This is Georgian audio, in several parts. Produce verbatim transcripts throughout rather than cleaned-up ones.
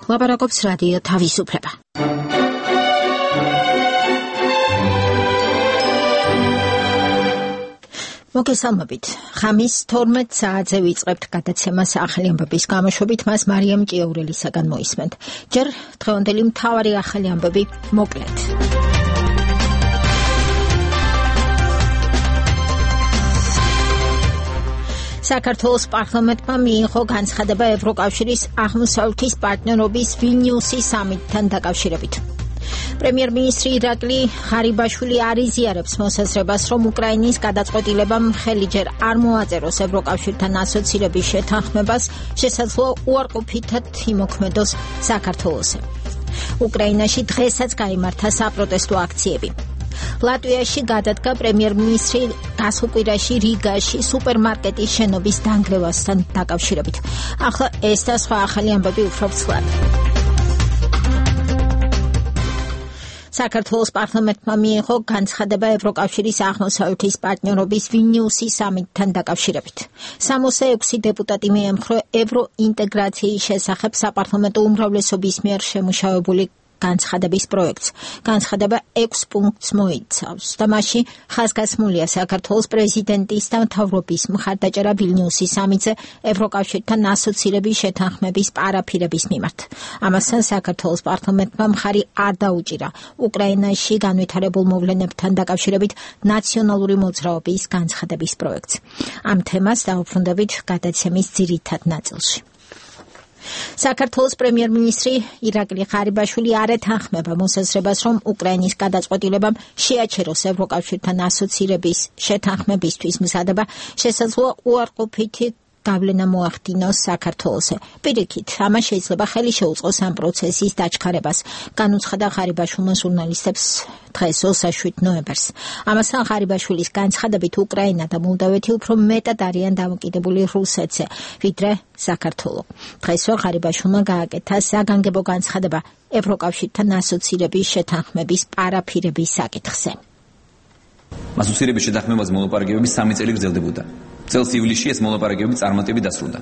ლაპარაკობს რადიო თავისუფლება. მოგესალმებით. ხამის თორმეტ საათზე ვიწყებთ გადაცემას ახალი ამბების გამოშვებით, მას მარიამ ჭიაურელისაგან მოისმენთ. ჯერ დღევანდელი მთავარი ახალი ამბები მოკლედ. საქართველოს პარლამენტმა მიიღო განცხადება ევროკავშირის აღმოსავლეთის პარტნიორობის ვილნიუსის სამიტთან დაკავშირებით. პრემიერ-მინისტრი ირაკლი ღარიბაშვილი არ იზიარებს მოსაზრებას, რომ უკრაინის გადაწყვეტილებამ ხელი ჯერ არ მოაწეროს ევროკავშირთან ასოცირების შეთანხმებას, შესაძლოა უარყოფითად იმოქმედოს საქართველოსზე. უკრაინაში დღესაც გაიმართა საპროტესტო აქციები. ლატვიაში გადადგა პრემიერ-მინისტრი გასუკვირაში რიგაში სუპერმარკეტის შენობის დანგრევასთან დაკავშირებით. ახლა ეს და სხვა ახალი ამბები უფრო ცვლად. საქართველოს პარლამენტმა მიიღო განცხადება ევროკავშირის აღმოსავლეთის პარტნიორობის ვილნიუსის სამიტთან დაკავშირებით. სამოცდა ექვსი დეპუტატი მიემხრო ევროინტეგრაციის შესახებ საპარლამენტო უმრავლესობის მიერ შემუშავებული განცხადების პროექტს. განცხადება ექვს პუნქტს მოიცავს და მასში ხაზგასმულია საქართველოს პრეზიდენტის და მთავრობის მხარდაჭერა ვილნიუსის სამიტზე ევროკავშირთან ასოცირების შეთანხმების პარაფირების მიმართ. ამასთან საქართველოს პარლამენტმა მხარი არ დაუჭირა უკრაინაში განვითარებულ მოვლენებთან დაკავშირებით ნაციონალური მოძრაობის განცხადების პროექტს. ამ თემას დავუბრუნდებით გადაცემის ძირითად ნაწილში. საქართველოს პრემიერ-მინისტრი ირაკლი ღარიბაშვილი არ ეთანხმება მოსაზრებას, რომ უკრაინის გადაწყვეტილებამ შეაჩეროს ევროკავშირთან ასოცირების შეთანხმებისთვის მზადება, შესაძლოა უარყოფითი გავლენა მოახდინოს საქართველოსზე. პირიქით, ამას შეიძლება ხელი შეუწყოს ამ პროცესის დაჩქარებას, განუცხადა ღარიბაშვილმა ჟურნალისტებს დღეს ოცდაშვიდ ნოემბერს. ამასთან ღარიბაშვილის განცხადებით უკრაინა და მოლდავეთი უფრო მეტად არიან დამოკიდებული რუსეთზე, ვიდრე საქართველო. დღესვე ღარიბაშვილმა გააკეთა საგანგებო განცხადება ევროკავშირთან ასოცირების შეთანხმების პარაფირების საკითხზე. ასოცირების შეთანხმებას მოლაპარაკებები სამი წელი გრძელდებოდა. წელს ივლისში ეს მოლაპარაკებები წარმატებით დასრულდა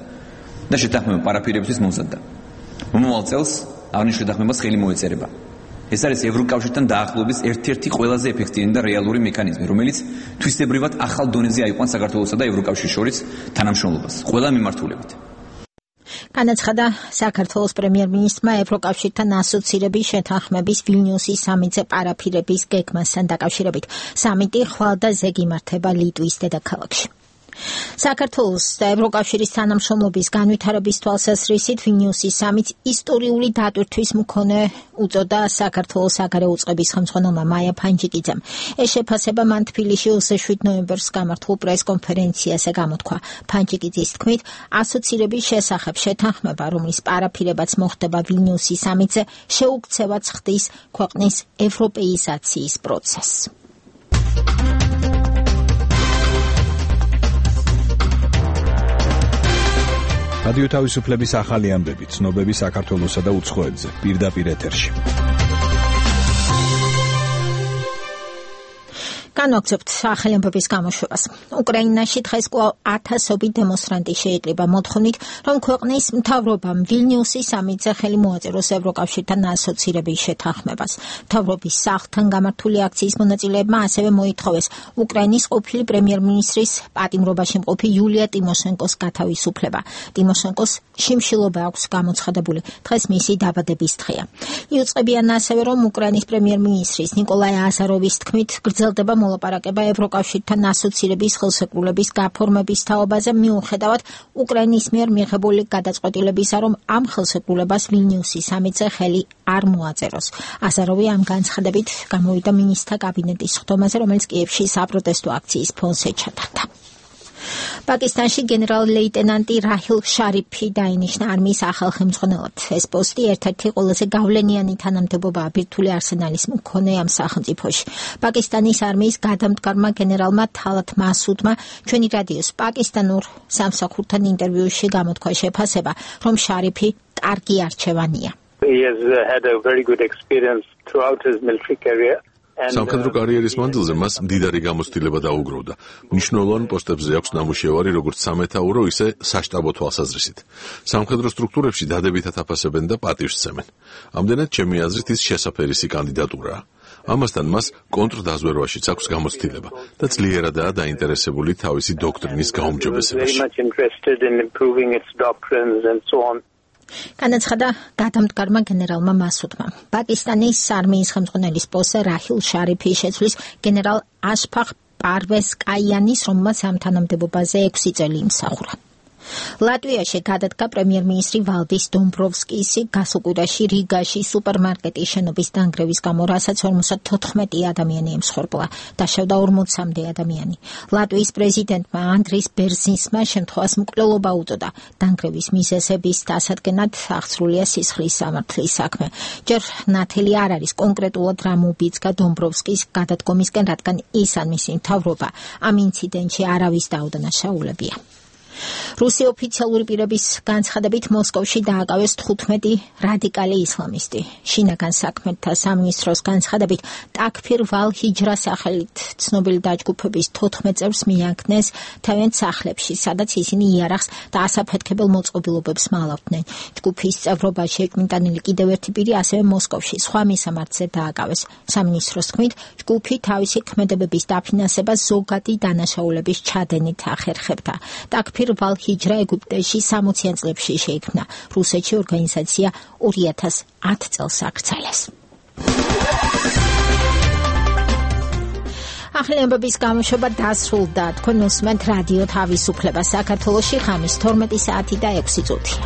და შეთანხმება პარაფირებისთვის მომზადდა. მომავალ წელს აღნიშნულ შეთანხმებას ხელი მოეწერება. ეს არის ევროკავშირთან დაახლოების ერთ-ერთი ყველაზე ეფექტიანი და რეალური მექანიზმი, რომელიც თვისებრივად ახალ დონეზე აიყვანს საქართველოსა და ევროკავშირის შორის თანამშრომლობას ყველა მიმართულებით. განაცხადა საქართველოს პრემიერ-მინისტრმა ევროკავშირთან ასოცირების შეთანხმების ვილნიუსის სამიტზე პარაფირების გეგმასთან დაკავშირებით. სამიტი ხვალ და ზეგ იმართება ლიტვის დედაქალაქში. საქართველოს და ევროკავშირის თანამშრომლობის განვითარების თვალსაზრისით ვილნიუსის სამიტს ისტორიული დატვირთვის მქონე უწოდა საქართველოს საგარეო უწყების ხელმძღვანელმა მაია ფანჯიკიძემ. ეს შეფასება მან თბილისში ოცდაშვიდ ნოემბერს გამართულ პრეს-კონფერენციაზე გამოთქვა. ფანჯიკიძის თქმით, ასოცირების შესახებ შეთანხმება, რომლის პარაფირებაც მოხდება ვილნიუსის სამიტზე, შეუქცევად ხდის ქვეყნის ევროპეიზაციის პროცესს. რადიო თავისუფლების ახალი ამბები, ცნობები საქართველოსა და უცხოეთზე, პირდაპირ ეთერში. განვაგრძობთ ახალი ამბების გამოშვებას. უკრაინაში დღეს კვლავ ათასობით დემონსტრანტი შეიკრიბა მოთხოვნით, რომ ქვეყნის მთავრობამ ვილნიუსის სამიტზე ხელი მოაწეროს ევროკავშირთან ასოცირების შეთანხმებას. მთავრობის სახლთან გამართული აქციის მონაწილეებმა ასევე მოითხოვეს უკრაინის ყოფილი პრემიერ-მინისტრის პატიმრობაში მყოფი იულია ტიმოშენკოს გათავისუფლება. ტიმოშენკოს შიმშილობა აქვს გამოცხადებული. დღეს მისი დაბადების დღეა. იუწყებიან ასევე, რომ უკრაინის პრემიერ-მინისტრის ნიკოლაი აზაროვის თქმით გრძელდება მოლაპარაკება ევროკავშირთან ასოცირების ხელშეკრულების გაფორმების თაობაზე, მიუხედავად უკრაინის მიერ მიღებული გადაწყვეტილებისა, რომ ამ ხელშეკრულებას ვილნიუსის სამიტზე ხელი არ მოაწეროს. აზაროვი ამ განცხადებით გამოვიდა მინისტრთა კაბინეტის სხდომაზე, რომელიც კიევში საპროტესტო აქციის ფონზე ჩატარდა. პაკისტანში გენერალ-ლეიტენანტი რაჰილ შარიფი დაინიშნა არმიის ახალ ხელმძღვანელად. ეს პოსტი ერთ-ერთი ყველაზე გავლენიანი თანამდებობაა ბირთვული არსენალის მქონე ამ სახელმწიფოში. პაკისტანის არმიის გადამდგარმა გენერალმა თალათ მასუდმა ჩვენი რადიოს პაკისტანურ სამსახურთან ინტერვიუში გამოთქვა შეფასება, რომ შარიფი კარგი არჩევანია. He has had a very good experience throughout his military career. სამხედრო კარიერის მანძილზე მას მდიდარი გამოცდილება დაუგროვდა. მნიშვნელოვან პოსტებზე აქვს ნამუშევარი როგორც სამეთაურო, ისე საშტაბო თვალსაზრისით. სამხედრო სტრუქტურებში დადებითად აფასებენ და პატივს სცემენ. ამდენად ჩემი აზრით ის შესაფერისი კანდიდატურაა. ამასთან მას კონტრდაზვერვაშიც აქვს გამოცდილება და ძლიერადაა დაინტერესებული თავისი დოქტრინის გაუმჯობესებაში. განაცხადა გადამდგარმა გენერალმა მასუდმა. პაკისტანის არმიის ხელმძღვანელის პოსტზე რაჰილ შარიფის შეცვლის გენერალ აშფაღ პარვეს კაიანის, რომელმაც ამ თანამდებობაზე ექვსი წელი იმსახურა. ლატვიაში გადადგა პრემიერ-მინისტრი ვალდის დომბროვსკისი გასულ კვირაში რიგაში სუპერმარკეტის შენობის დანგრევის გამო, რასაც ორმოცდათოთხმეტი ადამიანი ემსხვერპლა, დაშავდა ორმოცამდე ადამიანი. ლატვიის პრეზიდენტმა ანდრის ბერზინსმა შემთხვევას მკვლელობა უწოდა. დანგრევის მიზეზების დასადგენად აღსრულია სისხლის სამართლის საქმე. ჯერ ნათელი არ არის კონკრეტულად რა მობიძგა დომბროვსკის გადადგომისკენ, რადგან ის ან მისი მთავრობა ამ ინციდენტში არავის დაუდანაშაულებია. რუსი ოფიციალური პირების განცხადებით მოსკოვში დააკავეს თხუთმეტი რადიკალი ისლამისტი. შინაგან საქმეთა სამინისტროს განცხადებით ტაქფირ ვალ-ჰიჯრა სახელით ცნობილი დაჯგუფების თოთხმეტ წევრს მიანქნეს თავიანთ სახლებში, სადაც ისინი იარაღს და ასაფეთქებელ მოწყობილობებს მალავდნენ. ჯგუფის წევრობა შეჭმიტანილი კიდევ ერთი პირი ასევე მოსკოვში სხვა მისამართზე დააკავეს. სამინისტროს თქმით, ჯგუფი თავისი ქმედებების დაფინანსებას ზოგადი დანაშაულების ჩადენით ახერხებდა. ტაქფირ ვალ-ჰიჯრა ეგვიპტეში სამოციან წლებში შეიქმნა. რუსეთში ორგანიზაცია ორი ათას ათ წელს აქცალეს. ახლებების გამოშვება დასრულდა. თქვენ უსმენთ რადიო თავისუფლება. საქართველოში ღამის თორმეტი საათი და ექვსი წუთია.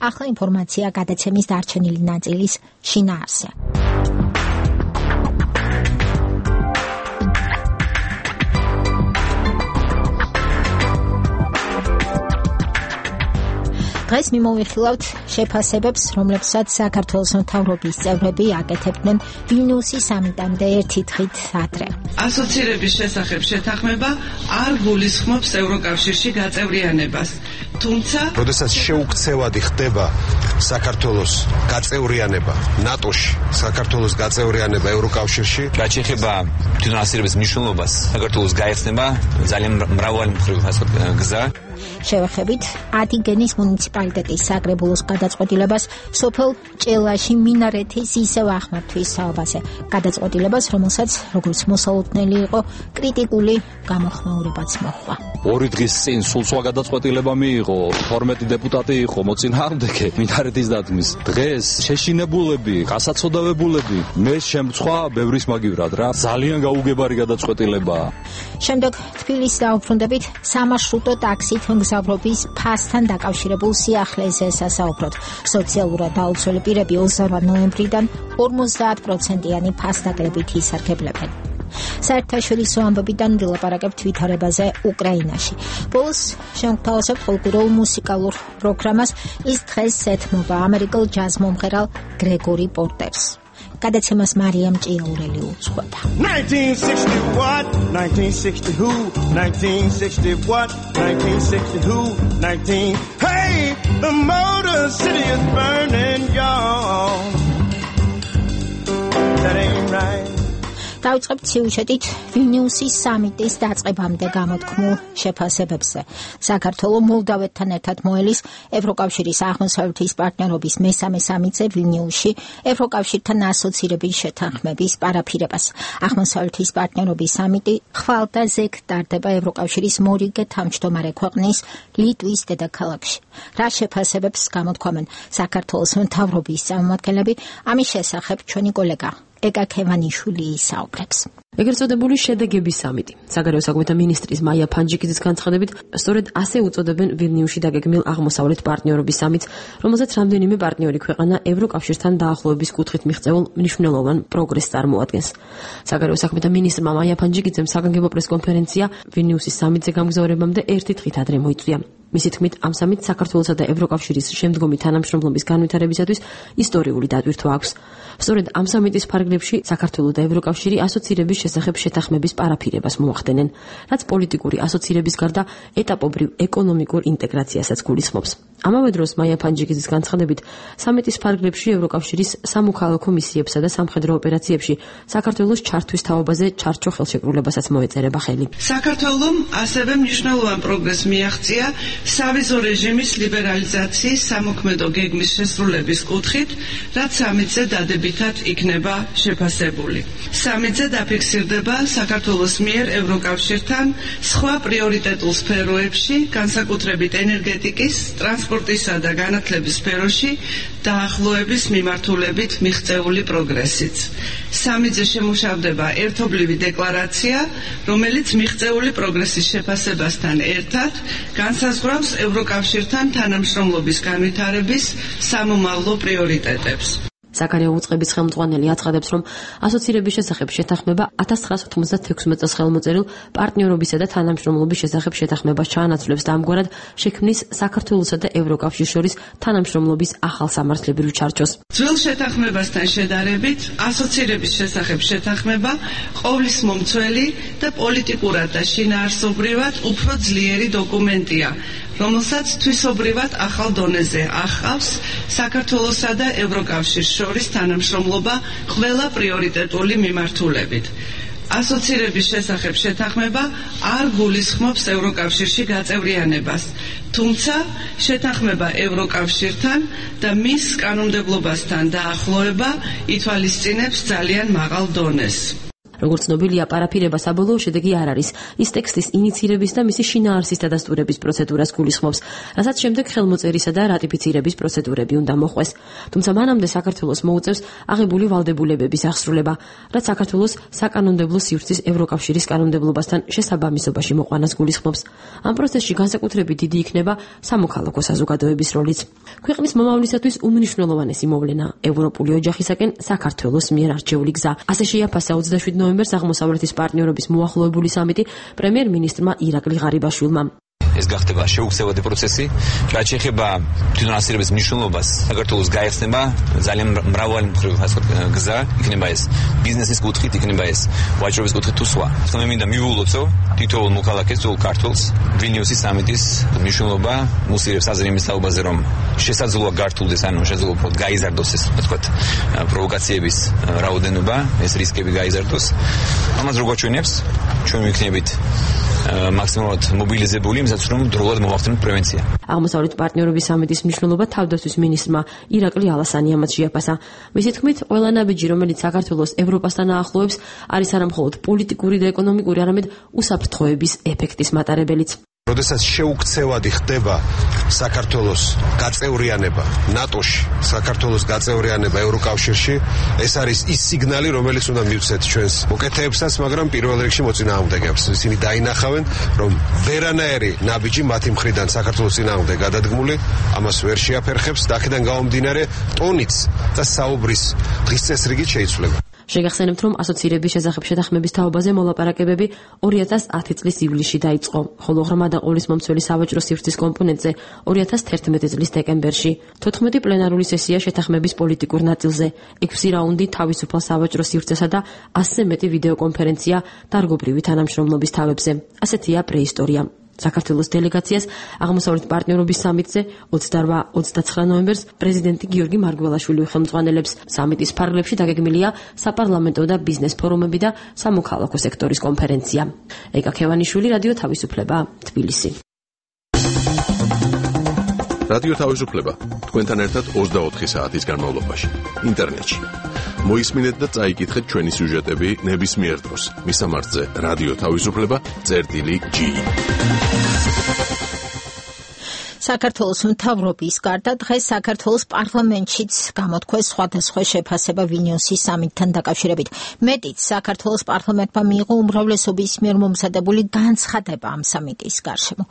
ახლა ინფორმაცია გადაცემის დარჩენილი ნაწილის შინაარსზე. დღეს მიმოვიხილავთ შეფასებებს, რომლებსაც საქართველოს მთავრობის წევრები აკეთებდნენ ვილნიუსის სამიტამდე ერთი დღით ადრე. ასოცირების შესახებ შეთანხმება არ გულისხმობს ევროკავშირში გაწევრიანებას. თუმცა, როდესაც შეუქცევადი ხდება საქართველოს გაწევრიანება ნატოში, საქართველოს გაწევრიანება ევროკავშირში, რაც შეეხება თვითონ ასოცირების მნიშვნელობას, საქართველოს გაეცნება ძალიან მრავალი მხრივ გზა. შევეხებით ადიგენის მუნიციპალიტეტის საკრებულოს გადაწყვეტილებას სოფელ ჭელაში მინარეთის ისევ ახმართვის საუბაზე. გადაწყვეტილებას, რომელსაც როგორც მოსალოდნელი იყო, კრიტიკული გამოხმაურებაც მოჰყვა. ორი დღის წინ სულ სხვა გადაწყვეტილება მიიღო, თორმეტი დეპუტატი იყო მოწინააღმდეგე მინარეთის დადგმის. დღეს შეშინებულები, გასაცოდავებულები, მე შემცვა ბევრის მაგივრად რა. ძალიან გაუგებარი გადაწყვეტილებაა. შემდეგ თბილისს დაუბრუნდებით სამარშრუტო ტაქსით მგზავრობის ფასთან დაკავშირებულ სიახლეზე სასაუბროთ. სოციალურად დაუცველი პირები ოცდაოთხ ნოემბრიდან ორმოცდაათ პროცენტიანი ფასდაკლებით ისარგებლებენ. საერთაშორისო ამბებიდან ვილაპარაკებთ ვითარებაზე უკრაინაში. ბოლოს შევთავაზებთ კულტურულ მუსიკალურ პროგრამას. ის დღეს ეთმობა ამერიკელ ჯაზ მომღერალ გრეგორი პორტერს. გადაცემას მარიამ ჭიაურელი უძღვება. nineteen sixty what? nineteen sixty who? nineteen sixty what? nineteen sixty who? nineteen Hey, the Motor City is burning, y'all. That ain't right. დავიწყებთ სიუჟეტით ვილნიუსის სამიტის დაწყებამდე გამოთქმულ შეფასებებზე. საქართველო მოლდავეთთან ერთად მოელის ევროკავშირის აღმოსავლეთის პარტნიორობის მესამე სამიტზე ვილნიუსში ევროკავშირთან ასოცირების შეთანხმების პარაფირებას. აღმოსავლეთის პარტნიორობის სამიტი ხვალ და ზეგ ტარდება ევროკავშირის მორიგე თავმჯდომარე ქვეყნის ლიტვის დედაქალაქში. რა შეფასებებს გამოთქვამენ საქართველოს მთავრობის წარმომადგენლები, ამის შესახებ ჩვენი კოლეგა ეკა ქევანიშვილი ისაუბრებს. ეგრეთ წოდებული შედეგების სამიტი. საგარეო საქმეთა მინისტრის მაია ფანჯიკიძის განცხადებით, სწორედ ასე უწოდებენ ვილნიუსში დაგეგმილ აღმოსავლეთ პარტნიორობის სამიტს, რომელზეც რამდენიმე პარტნიორი ქვეყანა ევროკავშირთან დაახლოების კუთხით მიღწეულ მნიშვნელოვან პროგრესს წარმოადგენს. საგარეო საქმეთა მინისტრმა მაია ფანჯიკიძემ საგანგებო პრესკონფერენცია ვილნიუსის სამიტზე გამგზავრებამდე ერთი დღით ადრე მოიწვია. მისი თქმით, ამ სამიტს საქართველოსა და ევროკავშირის შემდგომი თანამშრომლობის განვითარებისათვის ისტორიული დატვირთვა აქვს. სწორედ ამ სამიტის ფარგლებში საქართველო და ევროკავშირი ასოცირების შესახებ შეთანხმების პარაფირებას მოახდენენ, რაც პოლიტიკური ასოცირების გარდა ეტაპობრივ ეკონომიკურ ინტეგრაციასაც გულისხმობს. ამავე დროს მაია ფანჯიკიძის განცხადებით, სამიტის ფარგლებში ევროკავშირის სამოქალაქო მისიებსა და სამხედრო ოპერაციებში საქართველოს ჩართვის თაობაზე ჩარჩო ხელშეკრულებასაც მოეწერება ხელი. საქართველომ ასევე მნიშვნელოვან პროგრესს მიაღწია სავიზო რეჟიმის ლიბერალიზაციის სამოქმედო გეგმის შესრულების კუთხით, რაც სამიტზე დადებითად იქნება შეფასებული. სამიტზე დაფიქსირდება საქართველოს მიერ ევროკავშირთან სხვა პრიორიტეტულ სფეროებში, განსაკუთრებით ენერგეტიკის, ტრანსპორტისა და განათლების სფეროში დაახლოების მიმართულებით მიღწეული პროგრესიც. სამიტზე შემუშავდება ერთობლივი დეკლარაცია, რომელიც მიღწეული პროგრესის შეფასებასთან ერთად განსაზღვრავს ევროკავშირთან თანამშრომლობის განვითარების სამომავლო პრიორიტეტებს. საკანეო უწყების ხელმძღვანელი აცხადებს, რომ ასოცირების შესახებ შეთანხმება ათას ცხრაასა ოცდაათმეტ წელს ხელმოწერილ პარტნიორობისა და თანამშრომლობის შესახებ შეთანხმებას ჩაანაცვლებს და ამგვარად შექმნის საქართველოსა და ევროკავშირის შორის თანამშრომლობის ახალ სამართლებრივ ჩარჩოს. ძველ შეთანხმებასთან შედარებით, ასოცირების შესახებ შეთანხმება ყოვლის მომცველი და პოლიტიკურად და შინაარსობრივად უფრო ძლიერი დოკუმენტია, რომელსაც თვისობრივად ახალ დონეზე ახავს საქართველოსა და ევროკავშირის შორის თანამშრომლობა ყველა პრიორიტეტული მიმართულებით. ასოცირების შესახებ შეთანხმება არ გულისხმობს ევროკავშირში გაწევრიანებას, თუმცა შეთანხმება ევროკავშირთან და მის კანონმდებლობასთან დაახლოება ითვალისწინებს ძალიან მაღალ დონეს. როგორც ცნობილია, პარაფირება საბოლოო შედეგი არ არის. ის ტექსტის ინიცირების და მისი შინაარსის დადასტურების პროცედურას გულისხმობს, რასაც შემდეგ ხელმოწერისა და რატიფიცირების პროცედურები უნდა მოხდეს. თუმცა მანამდე საქართველოს მოუწევს აღებული ვალდებულებების აღსრულება, რაც საქართველოს საკანონმდებლო სივრცის ევროკავშირის კანონმდებლობასთან შესაბამისობაში მოყვანას გულისხმობს. ამ პროცესში განსაკუთრებით დიდი იქნება სამოქალაქო საზოგადოების როლიც. ქვეყნის მომავლისათვის უმნიშვნელოვანესი მოვლენა ევროპული ოჯახისაკენ საქართველოს მიერ არჩეული გზა. ასე შეაფასა ოცდაშვიდ ნოემბერს აღმოსავლეთის პარტნიორობის მოახლოებული სამიტი პრემიერ-მინისტრმა ირაკლი ღარიბაშვილმა. ეს გახდება შეუქცევადი პროცესი, რაც შეეხება თვითონ ასოცირების მნიშვნელობას. საქართველოს გაიხსნება ძალიან მრავალი გზა, იქნება ეს ბიზნესის კუთხით, იქნება ეს ვაჭრობის კუთხით თუ სხვა. მე მინდა მივულოცო თითოეულ მოქალაქეს, თითოეულ ქართველს ვილნიუსის სამიტის მნიშვნელობა მუსირებს აზრი იმის თაობაზე, რომ შესაძლოა გართულდეს, ანუ შესაძლოა უფრო გაიზარდოს ეს, ასე ვთქვათ, პროვოკაციების რაოდენობა, ეს რისკები გაიზარდოს. ამას როგორ ჩვენებს? ჩვენ ვიქნებით მაქსიმალურად მობილიზებული, იმისათვის რომ დროულად მოვახდინოთ პრევენცია. აღმოსავლეთ პარტნიორობის სამიტის მნიშვნელობა თავდაცვის მინისტრმა ირაკლი ალასანიამაც შეაფასა. მისი თქმით, ყველა ნაბიჯი, რომელიც საქართველოს ევროპასთან აახლოებს, არის არა მხოლოდ პოლიტიკური და ეკონომიკური, არამედ უსაფრთხოების ეფექტის მატარებელიც. როდესაც შეუქცევადი ხდება საქართველოს გაწევრიანება ნატოში, საქართველოს გაწევრიანება ევროკავშირში, ეს არის ის სიგნალი, რომელიც უნდა მივცეთ ჩვენს მოკეთეებსაც, მაგრამ პირველ რიგში მოწინააღმდეგეებს. ისინი დაინახავენ, რომ ვერანაირი ნაბიჯი მათი მხრიდან საქართველოს წინააღმდეგ გადადგმული, ამას ვერ შეაფერხებს და აქედან გამომდინარე ტონიც და საუბრის დღის წესრიგით შეიცვლება. შეგახსენებთ, რომ ასოცირების შესახებ შეთანხმების თაობაზე მოლაპარაკებები ორი ათას ათი წლის ივლისში დაიწყო, ხოლო ღრმა და ყოვლის მომცველი სავაჭრო სივრცის კომპონენტზე ორი ათას თერთმეტი წლის დეკემბერში. თოთხმეტი პლენარული სესია შეთანხმების პოლიტიკურ ნაწილზე, ექვსი რაუნდი თავისუფალ სავაჭრო სივრცესა და ასზე მეტი ვიდეოკონფერენცია დარგობრივი თანამშრომლობის თავებზე. ასეთია პრეისტორია. საქართველოს დელეგაციას აღმოსავლეთ პარტნიორობის სამიტზე ოცდაოთხ ოცდაცხრა ნოემბერს პრეზიდენტი გიორგი მარგველაშვილი ხელმძღვანელებს. სამიტის ფარგლებში დაგეგმილია საპარლამენტო და ბიზნეს ფორუმები და სამოქალაქო სექტორის კონფერენცია. ეკა ქევანიშვილი, რადიო თავისუფლება, თბილისი. რადიო თავისუფლება თქვენთან ერთად ოცდაოთხი საათის განმავლობაში ინტერნეტში. მოისმინეთ და წაიკითხეთ ჩვენი სიუჟეტები ნებისმიერ დროს. მისამართზე რადიო თავისუფლება წერტილი ჯი. საქართველოს მთავრობის გარდა დღეს საქართველოს პარლამენტშიც გამოთქვეს სხვადასხვა შეფასება ვილნიუსის სამიტთან დაკავშირებით. მეტიც, საქართველოს პარლამენტმა მიიღო უმრავლესობის მიერ მომზადებული განცხადება ამ სამიტის გარშემო.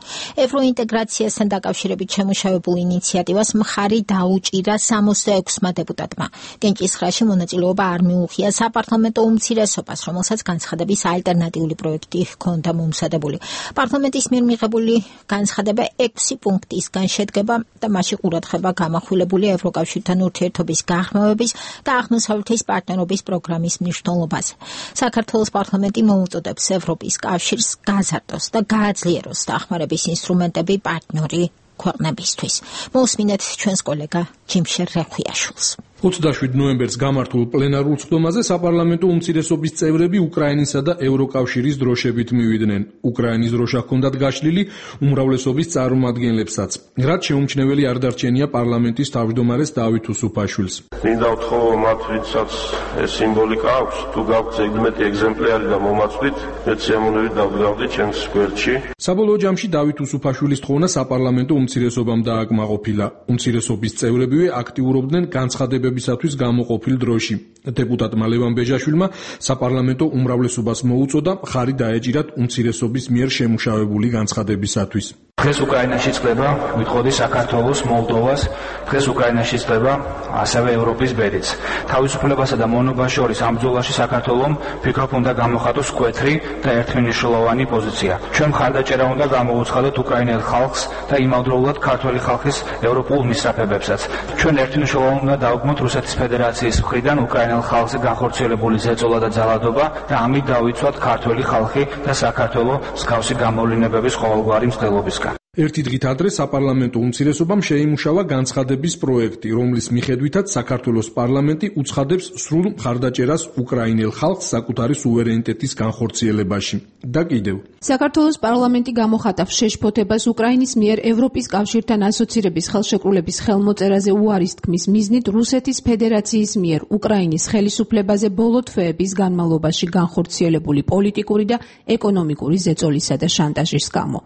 ევროინტეგრაციასთან დაკავშირებით შემუშავებულ ინიციატივას მხარი დაუჭირა სამოცდაექვსმა დეპუტატმა. კენჭისხრაში მონაწილეობა არ მიუღია საპარლამენტო უმცირესობას, რომელსაც განცხადების ალტერნატიული პროექტი ჰქონდა მომზადებული. პარლამენტის მიერ მიღებული განცხადება ექვსი პუნქტის შედგება და მასში ყურადღება გამახვილებულია ევროკავშირთან ურთიერთობის გაღრმავების და აღმოსავლეთის პარტნიორობის პროგრამის მნიშვნელობაზე. საქართველოს პარლამენტი მოუწოდებს ევროპის კავშირს გაზარდოს და გააძლიეროს დახმარების ინსტრუმენტები პარტნიორი ქვეყნებისთვის. მოусმინეთ ჩვენს კოლეგა ჯიმშერ რეხვიაშვილს. ოცდაშვიდ ნოემბერს გამართულ პლენარულ სხდომაზე საპარლამენტო უმცირესობის წევრები უკრაინისა და ევროკავშირის დროშებით მივიდნენ. უკრაინის დროშა ჰქონდათ გაშლილი უმრავლესობის წარმომადგენლებსაც. რაც შეუმჩნეველი არ დარჩენია პარლამენტის თავმჯდომარეს დავით უსუფაშვილს. მინდა ვთხოვო მათ, ვინცაც ეს სიმბოლიკა აქვს, თუ გაქვთ ზედმეტი ეგზემპლიარი და მომაწვით, მეც სიამოვნებით დავგზავნდი ჩემს გვერდში. საბოლოო ჯამში დავით უსუფაშვილის თხოვნა საპარლამენტო უმცირესობამ დააკმაყოფილა. უმცირესობის წევრებივე აქტიურობდნენ განცხადებებისათვის გამოყოფილ დროში. დეპუტატმა ლევან ბეჟაშვილმა საპარლამენტო უმრავლესობას მოუწოდა მხარი დაეჭირათ უმცირესობის მიერ შემუშავებული განცხადებისათვის. დღეს უკრაინაში წყდება, ვიტყოდი საქართველოს, მოლდოვას, დღეს უკრაინაში წყდება ასევე ევროპის ბედიც. თავისუფლებასა და მონობას შორის ამ ბრძოლაში საქართველომ ფიქრობ უნდა გამოხატოს მკვეთრი და ერთმნიშვნელოვანი პოზიცია. ჩვენ მხარდაჭერა უნდა გამოუცხადოთ უკრაინელ ხალხს და იმავდროულად ქართველი ხალხის ევროპულ მისწრაფებებსაც. ჩვენ ერთმნიშვნელოვნად უნდა დავგმოთ რუსეთის ფედერაციის მხრიდან უკრაინელ ხალხზე განხორციელებული ზეწოლა და ძალადობა და ამით დავიცვათ ქართველი ხალხი და საქართველო მსგავსი გამოვლინებების ყოველგვარი მცდელობისგან. ერთი დღით ადრე საპარლამენტო უმცირესობამ შეიმუშავა განცხადების პროექტი, რომლის მიხედვითაც საქართველოს პარლამენტი უცხადებს სრულ მხარდაჭერას უკრაინელ ხალხს საკუთარი სუვერენიტეტის განხორციელებაში. და კიდევ საქართველოს პარლამენტი გამოხატავს შეშფოთებას უკრაინის მიერ ევროპის კავშირთან ასოცირების ხელშეკრულების ხელმოწერაზე უარის თქმის მიზნით რუსეთის ფედერაციის მიერ უკრაინის ხელისუფლებაზე ბოლო თვეების განმავლობაში განხორციელებული პოლიტიკური და ეკონომიკური ზეწოლისა და შანტაჟის გამო.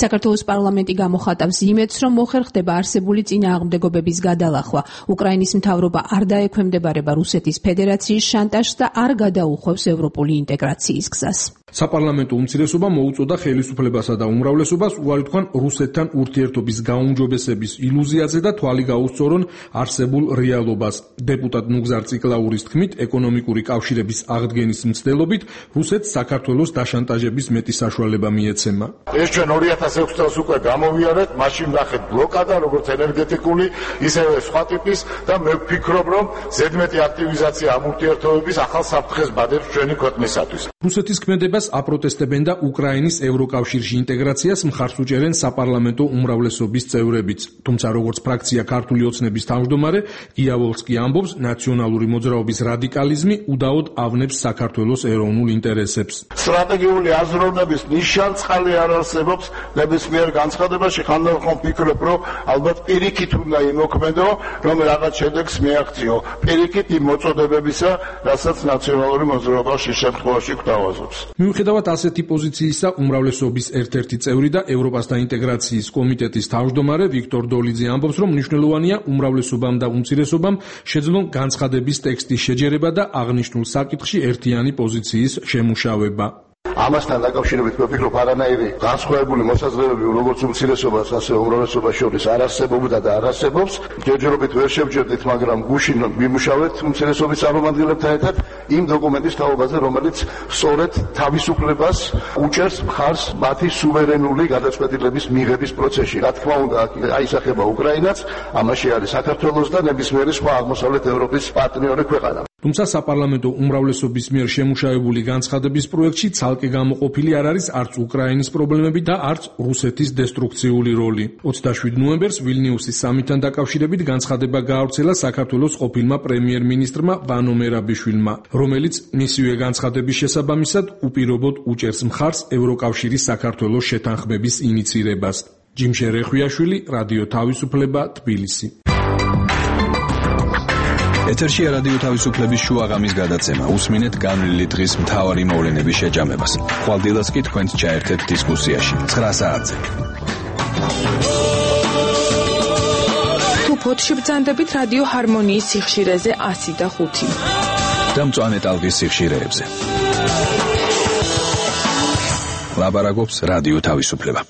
საქართველოს პარლამენტი გამოხატავს იმედს, რომ მოხერხდება არსებული წინააღმდეგობების გადალახვა. უკრაინის მთავრობა არ დაექვემდებარება რუსეთის ფედერაციის შანტაჟს და არ გადაუხვევს ევროპული ინტეგრაციის გზას. საპარლამენტო უმცირესობა მოუწოდა ხელისუფლებასა და უმრავლესობას უარი თქვან რუსეთთან ურთიერთობის გაუმჯობესების ილუზიაზე და თვალი გაუსწორონ არსებულ რეალობას. დეპუტატ ნუგზარ ციკლაურის თქმით, ეკონომიკური კავშირების აღდგენის მცდელობით რუსეთს საქართველოს დაშანტაჟების მეტი საშუალება მიეცემა. ეს ჩვენ ორი ათას ექვსი წელს უკვე გამოვიარეთ, მაშინ ნახეთ ბლოკადა, როგორც ენერგეტიკული, ისევე სხვა ტიპის და მე ვფიქრობ, რომ ზედმეტი აქტივიზაცია ამ ურთიერთობების ახალ საფრთხეს ბადებს ჩვენი ქვეყნისათვის. რუსეთის ქმედებას აპროტესტებენ და უკრაინის ევროკავშირში ინტეგრაციას მხარს უჭერენ საპარლამენტო უმრავლესობის წევრებიც. თუმცა როგორც ფრაქცია ქართული ოცნების თავმჯდომარე გია ვოლსკი ამბობს, ნაციონალური მოძრაობის რადიკალიზმი უდაოდ ავნებს საქართველოს ეროვნულ ინტერესებს. სტრატეგიული აზროვნების ნიშანწყალი არ არსებობს ნებისმიერ განცხადებაში. ხანდახან ვფიქრობ, რომ ალბათ პირიქით უნდა იმოქმედო, რომ რაღაც შედეგს მიაღწიო. პირიქით იმ მოწოდებებისა, რასაც ნაციონალური მოძრაობა შე შემთხვევაში გვთავაზობს. მიუხედავად ასეთი პოზიციისა, უმრავლესობის ერთ-ერთი წევრი და ევროპასთან ინტეგრაციის კომიტეტის თავმჯდომარე ვიქტორ დოლიძე ამბობს, რომ მნიშვნელოვანია უმრავლესობამ და უმცირესობამ შეძლონ განცხადების ტექსტის შეჯერება და აღნიშნულ საკითხში ერთიანი პოზიციის შემუშავება. ამასთან დაკავშირებით ვფიქრობ, არანაირი განსხვავებული მოსაზრებები როგორც უმცირესობას, ასევე უმრავლესობას შორის არ არსებობდა და არ არსებობს. ჯერჯერობით ვერ შევჯერდით, მაგრამ გუშინ ვიმუშავეთ უმცირესობის წარმომადგენლებთან ერთად იმ დოკუმენტის თაობაზე, რომელიც სწორედ თავისუფლებას უჭერს მხარს მათი სუვერენული გადაწყვეტილების მიღების პროცესში. რა თქმა უნდა, აისახება უკრაინაც, ამაში არის საქართველოს და ნებისმიერი სხვა აღმოსავლეთ ევროპის პარტნიორი ქვეყანა. თუმცა საპარლამენტო უმრავლესობის მიერ შემუშავებული განცხადების პროექტში ცალკე გამოყოფილი არ არის არც უკრაინის პრობლემები და არც რუსეთის დესტრუქციული როლი. ოცდაშვიდ ნოემბერს ვილნიუსის სამიტთან დაკავშირებით განცხადება გაავრცელა საქართველოს ყოფილმა პრემიერ-მინისტრმა ვანო მერაბიშვილმა, რომელიც მისივე განცხადების შესაბამისად უპირობოდ უჭერს მხარს ევროკავშირის საქართველოს შეთანხმების ინიცირებას. ჯიმშერ რეხვიაშვილი, რადიო თავისუფლება, თბილისი. ეთერშია რადიო თავისუფლების შუაღამის გადაცემა. უსმინეთ განვლილი დღის მთავარი მოვლენების შეჯამებას. ხვალდილას კი თქვენც ჩაერთეთ დისკუსიაში. ცხრა საათზე. თუ ფოთში ბრძანდებით რადიო ჰარმონიის სიხშირეზე ასი და ხუთი. და მწვანე ტალღის სიხშირეებზე. ლაბარაკობს რადიო თავისუფლება.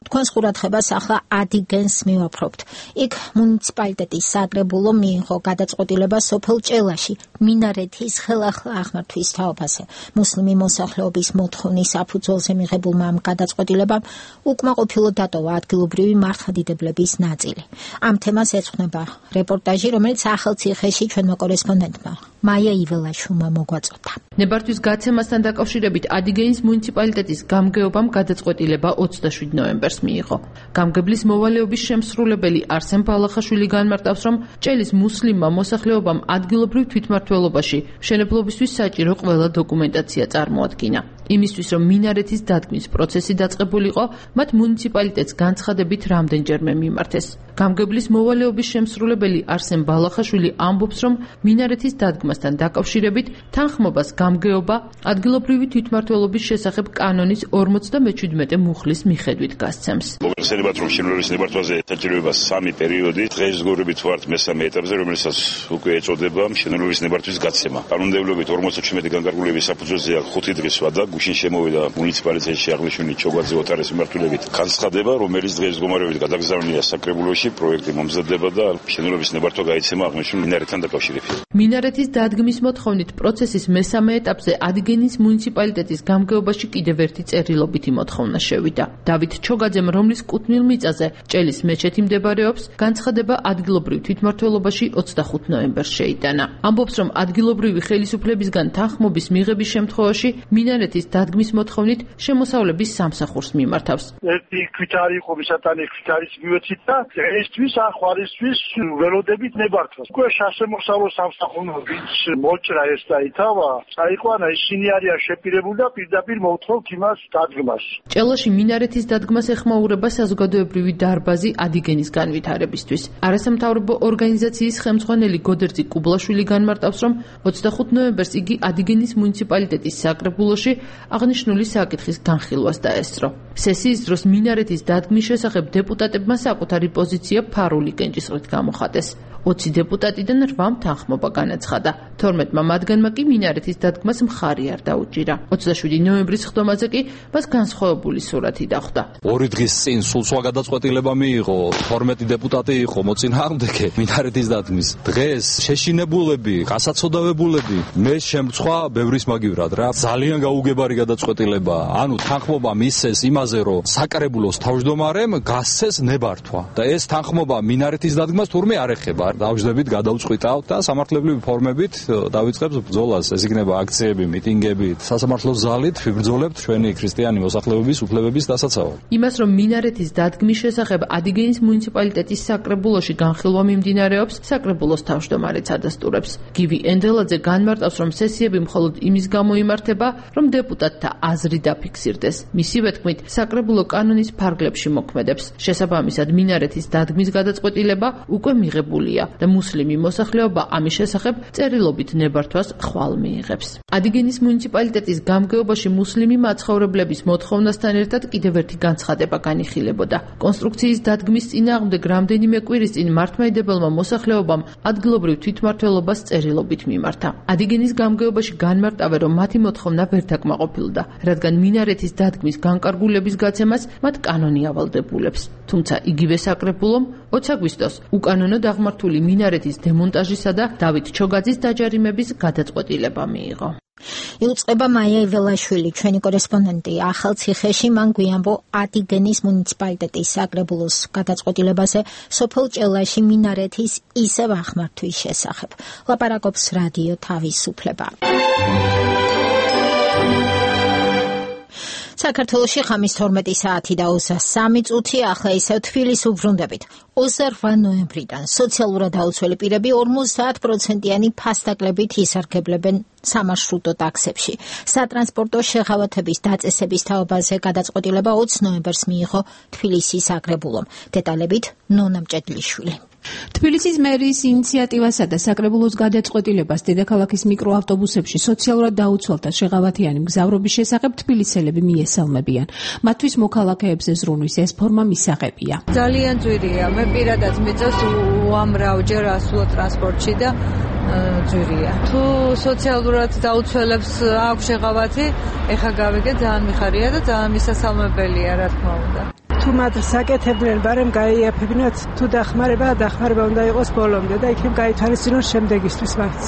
თქვენს ყურადღებას ახლა ადიგენს მივაფრობთ. იქ მუნიციპალიტეტის საკრებულო მიიღო გადაწყვეტილება სოფელ ჭელაში მინარეთის ხელახლა აღმართვის თაობაზე. მუსლიმი მოსახლეობის მოთხოვნის საფუძველზე მიღებულმა ამ გადაწყვეტილებამ უკმაყოფილო დატოვა ადგილობრივი მართლმადიდებლების ნაწილი. ამ თემას ეძღვნება რეპორტაჟი, რომელიც ახალციხეში ჩვენმა კორესპონდენტმა მაია იველაშვილმა მოგვაწოდა. ნებართვის გაცემასთან დაკავშირებით ადიგენის მუნიციპალიტეტის გამგეობამ გადაწყვეტილება ოცდაშვიდ ნოემბერს ნოემბერს მიიღო. გამგებლის მოვალეობის შემსრულებელი არსენ ბალახაშვილი განმარტავს, რომ ჭელის მუსლიმმა მოსახლეობამ ადგილობრივ თვითმმართველობაში მშენებლობისთვის საჭირო ყველა დოკუმენტაცია წარმოადგინა. იმისთვის, რომ მინარეთის დადგმის პროცესი დაწყებულიყო, მათ მუნიციპალიტეტს განცხადებით რამდენჯერმე მიმართეს. გამგებლის მოვალეობის შემსრულებელი არსენ ბალახაშვილი ამბობს, რომ მინარეთის დადგმასთან დაკავშირებით თანხმობას გამგეობა ადგილობრივი თვითმმართველობის შესახებ კანონის ორმოცდამეჩვიდმეტე მუხლის მიხედვით გასცემს. მოგეხსენებათ, რომ შენობის ნებართვაზე დაჭირება სამი პერიოდი, დღესდღეობით ვართ მესამე ეტაპზე, რომელსაც უკვე ეწოდება შენობის ნებართვის გაცემა. კანონმდებლობით ორმოცდაჩვიდმეტი განკარგულების საფუძველზე ხუთი დღის ვადა გუშინ შემოვიდა მუნიციპალიტეტში აღნიშნული ჩოგვაძე ოთარის მიმართულებით განცხადება, რომელიც დღესდღეობით გადაგზავნილია საკრებულოში, პროექტი მომზადდება და შენობის ნებართვა გაიცემა აღნიშნულ მინარეთთან დაკავშირებით. მინარეთის დადგმის მოთხოვნით პროცესის მესამე ეტაპზე ადგენის მუნიციპალიტეტის გამგეობაში კიდევ ერთი წერილობითი მოთხოვნა შევიდა. დავით ჩოგაძემ, რომლის კუთვნილ მიწაზე ჭელის მეჩეთი მდებარეობს, განცხადება ადგილობრივ თვითმმართველობაში ოცდახუთი ნოემბერს შეიტანა. ამბობს, რომ ადგილობრივი ხელისუფლებისგან თანხმობის მიღების შემთხვევაში მინარეთის დადგმის მოთხოვნით შემოსავლების სამსახურს მიმართავს. ერთი ქვითარი იყო მისატანი ქვითარის მივეცით და ესთვის ახვალისთვის ველოდებით ნებართვას. უკვე სასემოსავლო სამსახურს ვინც მოჭრა ეს და ითავა, წაიყვანა ისინი არიან შეპირებული და პირდაპირ მოვთხოვთ იმას დადგმას. ჭელაში მინარეთის დადგმას ეხმაურება საზოგადოებრივი დარბაზი ადიგენის განვითარებისთვის. არასამთავრობო ორგანიზაციის ხელმძღვანელი გოდერძი კუბლაშვილი განმარტავს, რომ ოცდახუთი ნოემბერს იგი ადიგენის მუნიციპალიტეტის საკრებულოში აღნიშნული საკითხის განხილვას დაესწრო. სესიის დროს მინარეთის დადგმის შესახებ დეპუტატებმა საკუთარი პოზიცია ფარული კენჭისყრით გამოხატეს. ოცი დეპუტატიდან რვამ თანხმობა განაცხადა. თორმეტმა მათგანმა კი მინარეთის დადგმას მხარი არ დაუჭირა. ოცდაშვიდი ნოემბრის ხდომაზე კი მას განსხვავებული სურათი დახვდა. ორი დღის წინ სულ სხვა გადაწყვეტილება მიიღო, თორმეტი დეპუტატი იყო მოწინააღმდეგე მინარეთის დადგმის. დღეს შეშინებულები, გასაცოდავებულები, მე შემცვა ბევრის მაგივრად რა. ძალიან გაუგებარი გადაწყვეტილება. ანუ თანხმობა მისცეს იმაზე, რომ საკრებულოს თავმჯდომარემ გასცეს ნებართვა და ეს თანხმობა მინარეთის დადგმას თურმე არ ეხება. დავждებით, გადავწყვიტავთ და სამართლებრივი ფორმებით დავიწყებს ბრძოლას. ეს იქნება აქციები, მიტინგები, სასამართლო ზალით ვიბრძოლებთ ჩვენი ქრისტიანი მოსახლეობის უფლებების დასაცავად. იმას, რომ მინარეთის დადგმის შესახებ ადიგენის მუნიციპალიტეტის საკრებულოში განხილვა მიმდინარეობს, საკრებულოს თავმჯდომარეც ადასტურებს. გივი ენდელაძე განმარტავს, რომ სესიები მხოლოდ იმის გამო იმართება, რომ დეპუტატთა აზრი დაფიქსირდეს. მისივე თქმით, საკრებულო კანონის ფარგლებში მოქმედებს. შესაბამისად, მინარეთის დადგმის გადაწყვეტილება უკვე მიღებულია და მუსლიმი მოსახლეობა ამის შესახებ წერილობით ნებართვას ხვალ მიიღებს. ადიგენის მუნიციპალიტეტის გამგეობაში მუსლიმი მაცხოვრებლების მოთხოვნასთან ერთად კიდევ ერთი განცხადება განიხილებოდა. კონსტრუქციის დადგმის წინააღმდეგ რამდენიმე კვირის წინ მართლმადიდებელმა მოსახლეობამ ადგილობრივ თვითმმართველობას წერილობით მიმართა. ადიგენის გამგეობაში განმარტავენ, რომ მათი მოთხოვნა ვერ დაკმაყოფილდა, რადგან მინარეთის დადგმის განკარგულების გაცემას მათ კანონი ავალდებულებს. თუმცა იგივე საკრებულომ ოცი აგვისტოს უკანონო დაღმართული მინარეთის დემონტაჟისა და დავით ჩოგაძის დაჯარიმების გადაწყვეტილება მიიღო. იუწყება მაია იველაშვილი, ჩვენი კორესპონდენტი ახალციხეში, მან გვიამბო ადიგენის მუნიციპალიტეტის საკრებულოს გადაწყვეტილებაზე სოფელ ჭელაში მინარეთის ისევ ახმართვის შესახებ. ლაპარაკობს რადიო თავისუფლება. საქართველოში ხამის თორმეტი საათი და ოცდასამი წუთი, ახლა ისევ თბილისს უბრუნდებით. ოცდარვა ნოემბრიდან სოციალურად დაუცველი პირები ორმოცდაათ პროცენტიანი ფასდაკლებით ისარგებლებენ სამარშრუტო ტაქსებში. სატრანსპორტო შეღავათების დაწესების თაობაზე გადაწყვეტილება ოცი ნოემბერს მიიღო თბილისის საკრებულომ. დეტალებით ნონა მჭედლიშვილი. თბილისის მერის ინიციატივასა და საკრებულოს გადაწყვეტილებას დედაქალაქის მიკროავტობუსებში სოციალურად დაუცველთა შეღავათიანი მგზავრობის შესახებ თბილისელები მიესალმებიან. მათთვის მოქალაქეებზე ზრუნვის ეს ფორმა მისაღებია. ძალიან ძვირია. მე პირადად მიწევს უამრავჯერ ასვლა ტრანსპორტში და ძვირია. თუ სოციალურად დაუცველებს აქვს შეღავათი, ეხა გავიგე, ძალიან მიხარია და ძალიან მისასალმებელია, რა თქმა უნდა. თუ მათ საკეთებდნენ, ბარემ გაიაფებინათ, თუ დახმარება, დახმარება უნდა იყოს ბოლომდე და იქნებ გაითვალისწინოს შემდეგისთვის მაინც.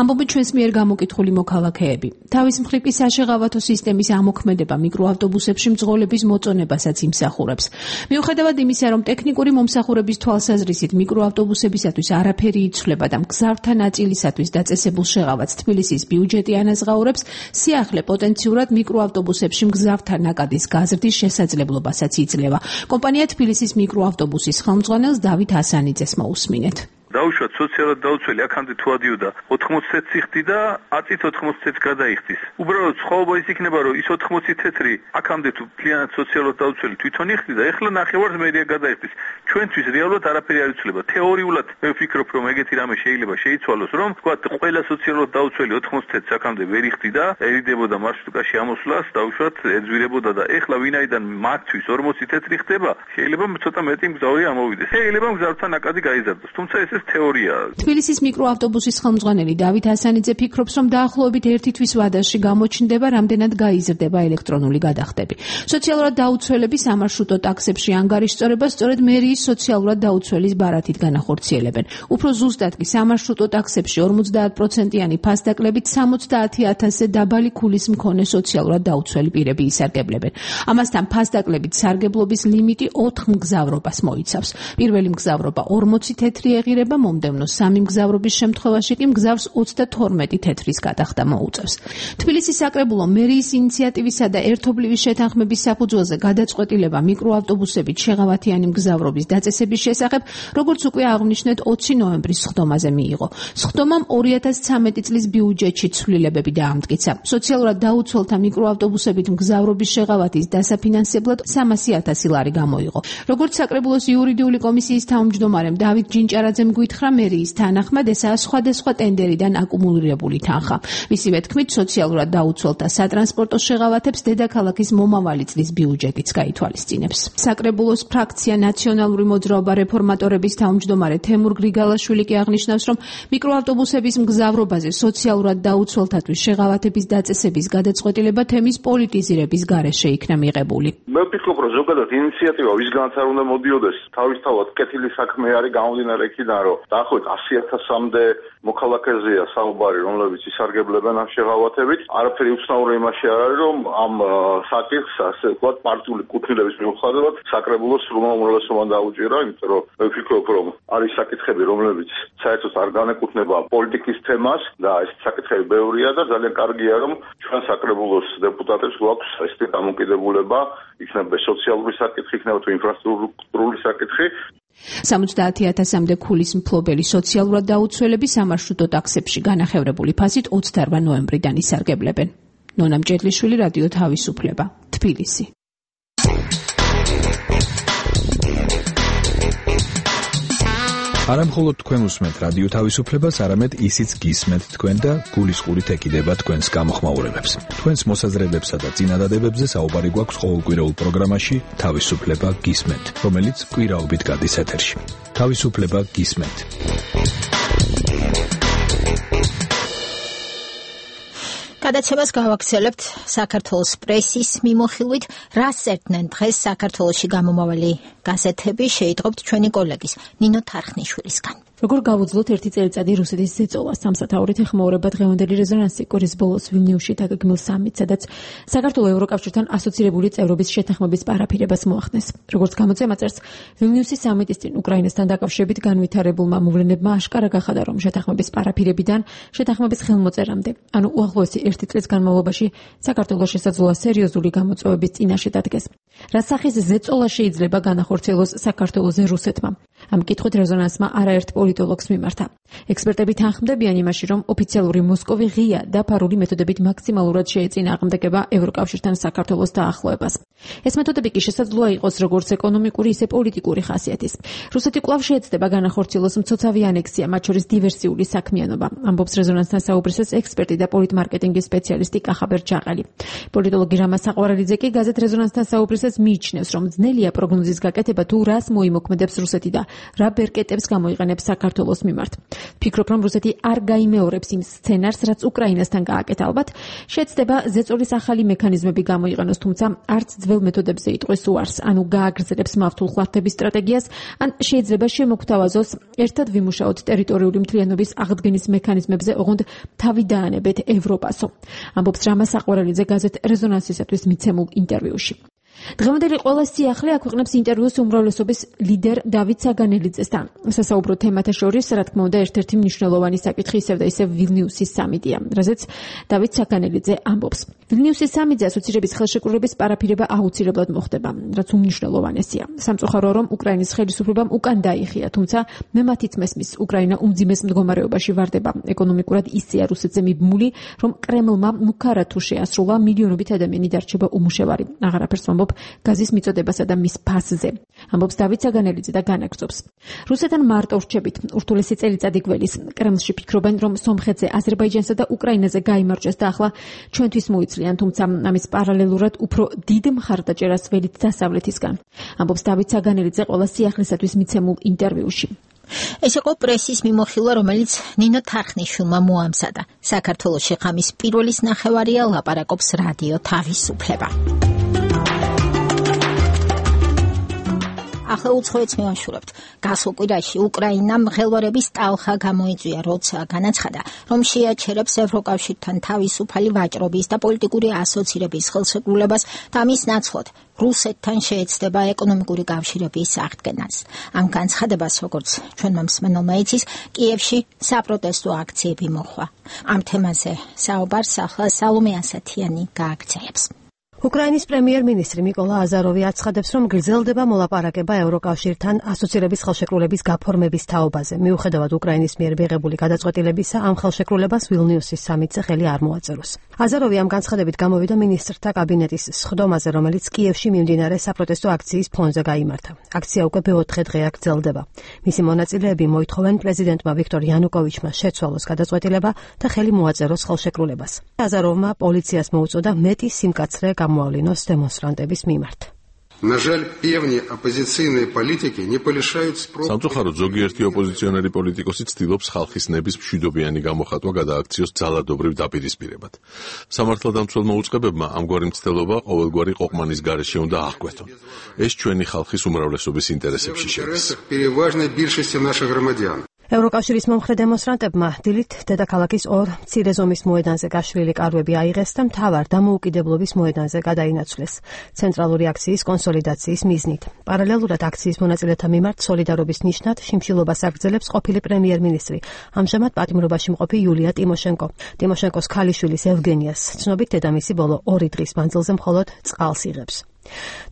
ამბობენ ჩვენს მიერ გამოკითხული მოქალაქეები. თავის მხრივ კი საშეღავათო სისტემის ამოქმედება მიკროავტობუსებში მძღოლების მოწონებასაც იმსახურებს. მიუხედავად იმისა, რომ ტექნიკური მომსახურების თვალსაზრისით მიკროავტობუსებისათვის არაფერი იცვლება და მგზავრთა ნაწილისათვის დაწესებულ შეღავათს თბილისის ბიუჯეტი ანაზღაურებს, სიახლე პოტენციურად მიკროავტობუსებში მგზავრთა ნაკადის გაზრდის შესაძლებლობასაც იძლევა. ხდება. კომპანია თბილისის მიკროავტობუსის ხელმძღვანელს დავით ასანიძეს მოусმინეთ. დაუშვათ სოციალურად დაუცველი აქამდე თუ ადიოდა ოთხმოცი ციხდი და აწით ოთხმოცი გადაიხდის. უბრალოდ სხვაობა ის იქნება, რომ ის ოთხმოცი თეთრი აქამდე თუ მთლიანად სოციალურად დაუცველი თვითონ იხდიდა, ეხლა ნახევარს მერია გადაიხდის. ჩვენთვის რეალურად არაფერი არ იცვლება. თეორიულად მე ვფიქრობ, რომ ეგეთი რამე შეიძლება შეიცვალოს, რომ თქვა ყველა სოციალურად დაუცველი ოთხმოცი თეთრს აქამდე ვერ იხდიდა, ერიდებოდა მარშრუტკაში ამოსვლას, დაუშვათ ეძვირებოდა და ეხლა ვინაიდან მათთვის ორმოცი თეთრი ხდება, შეიძლება ცოტა მეტი მგზავრი ამოვიდეს. შეიძლება მგზავრთან ნაკადი გაიზარდოს, თუმცა ეს თეორია. თბილისის მიკროავტობუსის ხელმძღვანელი დავით ასანიძე ფიქრობს, რომ დაახლოებით ერთი თვის ვადაში გამოჩნდება, რამდენად გაიზრდება ელექტრონული გადახდები. სოციალურად დაუცველები სამარშრუტო ტაქსებში ანგარიშწორებას სწორედ მერიის სოციალურად დაუცველის ბარათით განახორციელებენ. უფრო ზუსტად კი სამარშრუტო ტაქსებში ორმოცდაათ პროცენტიანი ფასდაკლებით სამოცდაათი ათასზე დაბალი ქულის მქონე სოციალურად დაუცველი პირები ისარგებლებენ. ამასთან ფასდაკლებით სარგებლობის ლიმიტი ოთხ მგზავრობას მოიცავს. პირველი მგზავრობა ორმოცი თეთრი ეღირება, მომდევნო სამი მგზავრობის შემთხვევაში კი მგზავრს ოცდათორმეტი თეთრის გადახდა მოუწევს. თბილისის საკრებულო მერიის ინიციატივისა და ერთობლივი შეთანხმების საფუძველზე გადაწყვეტილება მიკროავტობუსებით შეღავათიანი მგზავრობის დაწესების შესახებ, როგორც უკვე აღვნიშნეთ, ოცი ნოემბრის სხდომაზე მიიღო. სხდომამ ორი ათას ცხრამეტი წლის ბიუჯეტში ცვლილებები დაამტკიცა. სოციალურად დაუცველთა მიკროავტობუსებით მგზავრობის შეღავათის დასაფინანსებლად სამასი ათასი ლარი გამოიღო. როგორც საკრებულოს იურიდიული კომისიის თავმჯდომარემ დავით ჯინჭარაძემ გითხრა, მერიის თანახმად ესაა სხვადასხვა ტენდერიდან აკუმულირებული თანხა. მისივე თქმით, სოციალურად დაუცველთა სატრანსპორტო შეღავათებს დედაქალაქის მომავალი წლის ბიუჯეტიც გაითვალისწინებს. საკრებულოს ფრაქცია ნაციონალური მოძრაობა რეფორმატორების თავმჯდომარე თემურ გრიგალაშვილი კი აღნიშნავს, რომ მიკროავტობუსების მგზავრობაზე სოციალურად დაუცველთათვის შეღავათების დაწესების გადაწყვეტილება თემის პოლიტიზირების გარეშე იქნა მიღებული. მე ვფიქრობ, რომ ზოგადად ინიციატივა ვისგანაც არ უნდა მოდიოდეს, თავისთავად კეთილი საქმე არის გამომდინარე იქიდან, რომ დაახლოებით ასი ათასამდე მოქალაქეზეა საუბარი, რომლებიც ისარგებლებენ ამ შეღავათებით. არაფერი უცნაური იმაში არ არის, რომ ამ საკითხს ასე ვთქვათ პარტიული კუთვნილების მიუხედავად საკრებულოს სრულ უმრავლესობამ დაუჭირა, იმიტომ რომ მე ვფიქრობ, რომ არის საკითხები, რომლებიც საერთოდ არ განეკუთვნება პოლიტიკის თემას და ეს საკითხები ბევრია და ძალიან კარგია, რომ ჩვენ საკრებულოს დეპუტატებს გვაქვს ესეთი დამოკიდებულება, იქნება სოციალური საკითხი, იქნება თუ ინფრასტრუქტურული საკითხი. სამოცდაათი ათასამდე ქულის მფლობელი სოციალურად დაუცველები სამარშრუტო ტაქსებში განახევრებული ფასით ოცდაოთხ ნოემბრიდან ისარგებლებენ. ნონა მჭედლიშვილი, რადიო თავისუფლება, თბილისი. არა მხოლოდ თქვენ უსმენთ რადიო თავისუფლებას, არამედ ისიც გისმენთ თქვენ და გულისყურით ეკიდება თქვენს გამოხმაურებებს. თქვენს მოსაზრებებსა და წინადადებებზე საუბარი გვაქვს ყოველკვირეულ პროგრამაში თავისუფლება გისმენთ, რომელიც კვირაობით გადის ეთერში. თავისუფლება გისმენთ. გადაცემას გავაგრძელებთ საქართველოს პრესის მიმოხილვით, რას ერდნენ დღეს საქართველოში გამომავალი გაზეთები, შეიტყობთ ჩვენი კოლეგის ნინო თარხნიშვილისგან. როგორ გავუძლოთ ერთი წელიწადი რუსეთის ზეწოლას სამსათაურით ეხმაურება დღევანდელი რეზონანსი კორის ბოლოს ვილნიუსში დაგეგმილ სამიტს, სადაც საქართველოს ევროკავშირთან ასოცირებული წევრობის შეთანხმების პარაფირებას მოახდენს. როგორც გამოწვევა წერს, ვილნიუსის სამიტის წინ უკრაინასთან დაკავშირებით განვითარებულმა მოვლენებმა აშკარა გახადა, რომ შეთანხმების პარაფირებიდან შეთანხმების ხელმოწერამდე, ანუ უახლოესი ერთი წლის განმავლობაში საქართველოს შესაძლოა სერიოზული გამოწვევების წინაშე დადგეს. რა სახის ზეწოლა შეიძლება განახორციელოს საქართველოზე რუსეთმა? ამ კითხვით რეზონანსმა არაერთ პოლიტოლოგს მიმართა. ექსპერტები თანხმდებიან იმაში, რომ ოფიციალური მოსკოვი ღია და ფარული მეთოდებით მაქსიმალურად შეეწინააღმდეგება ევროკავშირთან საქართველოს დაახლოებას. ეს მეთოდები კი შესაძლოა იყოს როგორც ეკონომიკური, ისე პოლიტიკური ხასიათის. რუსეთი კვლავ შეეცდება განახორციელოს მცოცავი ანექსია, მათ შორის დივერსიული საქმიანობა, ამბობს რეზონანსთან საუბრისას ექსპერტი და პოლიტმარკეტინგის სპეციალისტი კახაბერ ჯაყელი. პოლიტოლოგი რამა საყვარელიძე კი გაზეთ რეზონანსთან საუბრისას მიიჩნევს, რომ ძნელია პროგნოზის გაკეთება თუ რას მოიმოქმედებს რუსეთი და რა ბერკეტებს გამოიყენებს საქართველოს მიმართ. ფიქრობ, რომ რუსეთი არ გაიმეორებს იმ სცენარს, რაც უკრაინასთან გააკეთა. ალბათ შეეცდება ზეწოლის ახალი მექანიზმები გამოიყენოს, თუმცა არც ძველ მეთოდებზე იტყვის უარს, ანუ გააგრძელებს მართულ ხლართების სტრატეგიას, ან შეიძლება შემოგთავაზოს ერთად ვიმუშაოთ ტერიტორიული მთლიანობის აღდგენის მექანიზმებზე, ოღონდ თავი დაანებეთ ევროპასო. ამბობს რამა საყვარელიძე გაზეთ რეზონანსისათვის მიცემულ ინტერვიუში. დღევანდელი ყველა სიახლე აქვეყნებს ინტერვიუს უმრავლესობის ლიდერ დავით საგანელიძესთან. სასაუბრო თემათა შორის, რა თქმა უნდა, ერთ-ერთი მნიშვნელოვანი საკითხი ისევ და ისევ ვილნიუსის სამიტია, რაზეც დავით საგანელიძე ამბობს. ვილნიუსის სამიტზე ასოცირების ხელშეკრულების პარაფირება აუცილებლად მოხდება, რაც უმნიშვნელოვანესია. სამწუხარო რომ უკრაინის ხელისუფლებამ უკან დაიხია, თუმცა მე მათიც მესმის, უკრაინა უმძიმეს მდგომარეობაში ვარდება. ეკონომიკურად ისეა რუსეთზე მიბმული, რომ კრემლმა მუქარად თუ შეასრულა, მილიონობით ადამიანი დარჩება უმუშევარი. აღარაფერს ვამბობ გაზის მიწოდებასა და მის ფასზე. ამბობს დავით საგანელიძე და განაგრძობს. რუსეთთან მარტო რჩებით ურთულესი წელიწადი გველის. კრემლში ფიქრობენ, რომ სომხეთზე, აზერბაიჯანსა და უკრაინაზე გაიმარჯვეს და ახლა ჩვენთვის მოიცლიან, თუმცა ამის პარალელურად უფრო დიდ მხარდაჭერას ველით დასავლეთისგან. ამბობს დავით საგანელიძე ყველა სიახლესათვის მიცემულ ინტერვიუში. ეს იყო პრესის მიმოხილვა, რომელიც ნინო თარხნიშვილმა მოამზადა. საქართველოში ღამის პირველის ნახევარია, ლაპარაკობს რადიო თავისუფლება. ახლა უცხოეთს მივაშურებთ. გასულ კვირაში უკრაინამ მღელვარების ტალხა გამოიწვია, როცა განაცხადა, რომ შეაჩერებს ევროკავშირთან თავისუფალი ვაჭრობის და პოლიტიკური ასოცირების ხელშეკრულებას და მის ნაცვლად რუსეთთან შეეცდება ეკონომიკური კავშირების აღდგენას. ამ განცხადებას, როგორც ჩვენმა მსმენელმა იცის, კიევში საპროტესტო აქციები მოხდა. ამ თემაზე საუბარს ახლა სალომე ასათიანი გააგრძელებს. უკრაინის პრემიერ-მინისტრი მიკოლა აზაროვი აცხადებს, რომ გრძელდება მოლაპარაკება ევროკავშირთან ასოცირების ხელშეკრულების გაფორმების თაობაზე. მიუხედავად უკრაინის მიერ მიღებული გადაწყვეტილებისა, ამ ხელშეკრულებას ვილნიუსის სამიტზე ხელი არ მოაწეროს. აზაროვი ამ განცხადებით გამოვიდა მინისტრთა კაბინეტის სხდომაზე, რომელიც კიევში მიმდინარე საპროტესტო აქციის ფონზე გაიმართა. აქცია უკვე მეოთხე დღეა გრძელდება. მისი მონაწილეები მოითხოვენ პრეზიდენტმა ვიქტორ იანუკოვიჩმა შეცვალოს გადაწყვეტილება და ხელი მოაწეროს ხელშეკრულებას. აზაროვმა პოლიციას მოუწოდა მეტი სიმკაცრე გამოავლინოს დემონსტრანტების მიმართ. სამწუხაროდ ზოგიერთი ოპოზიციონერი პოლიტიკოსი ცდილობს ხალხის ნების მშვიდობიანი გამოხატვა გადააქციოს ძალადობრივ დაპირისპირებად. სამართალდამცველმა უწყებებმა ამგვარი მცდელობა ყოველგვარი ყოყმანის გარეშე უნდა აღკვეთონ. ეს ჩვენი ხალხის უმრავლესობის ინტერესებში შედის. ევროკავშირის მომხრე დემონსტრანტებმა დილით დედაქალაქის ორ მცირე ზომის მოედანზე გაშლილი კარვები აიღეს და მთავარ დამოუკიდებლობის მოედანზე გადაინაცვლეს ცენტრალური აქციის კონსოლიდაციის მიზნით. პარალელურად აქციის მონაწილეთა მიმართ სოლიდარობის ნიშნად შიმშილობას აგრძელებს ყოფილი პრემიერ-მინისტრი, ამჟამად პატიმრობაში მყოფი იულია ტიმოშენკო. ტიმოშენკოს ქალიშვილის ევგენიას ცნობით დედამისი ბოლო ორი დღის მანძილზე მხოლოდ წყალს იღებს.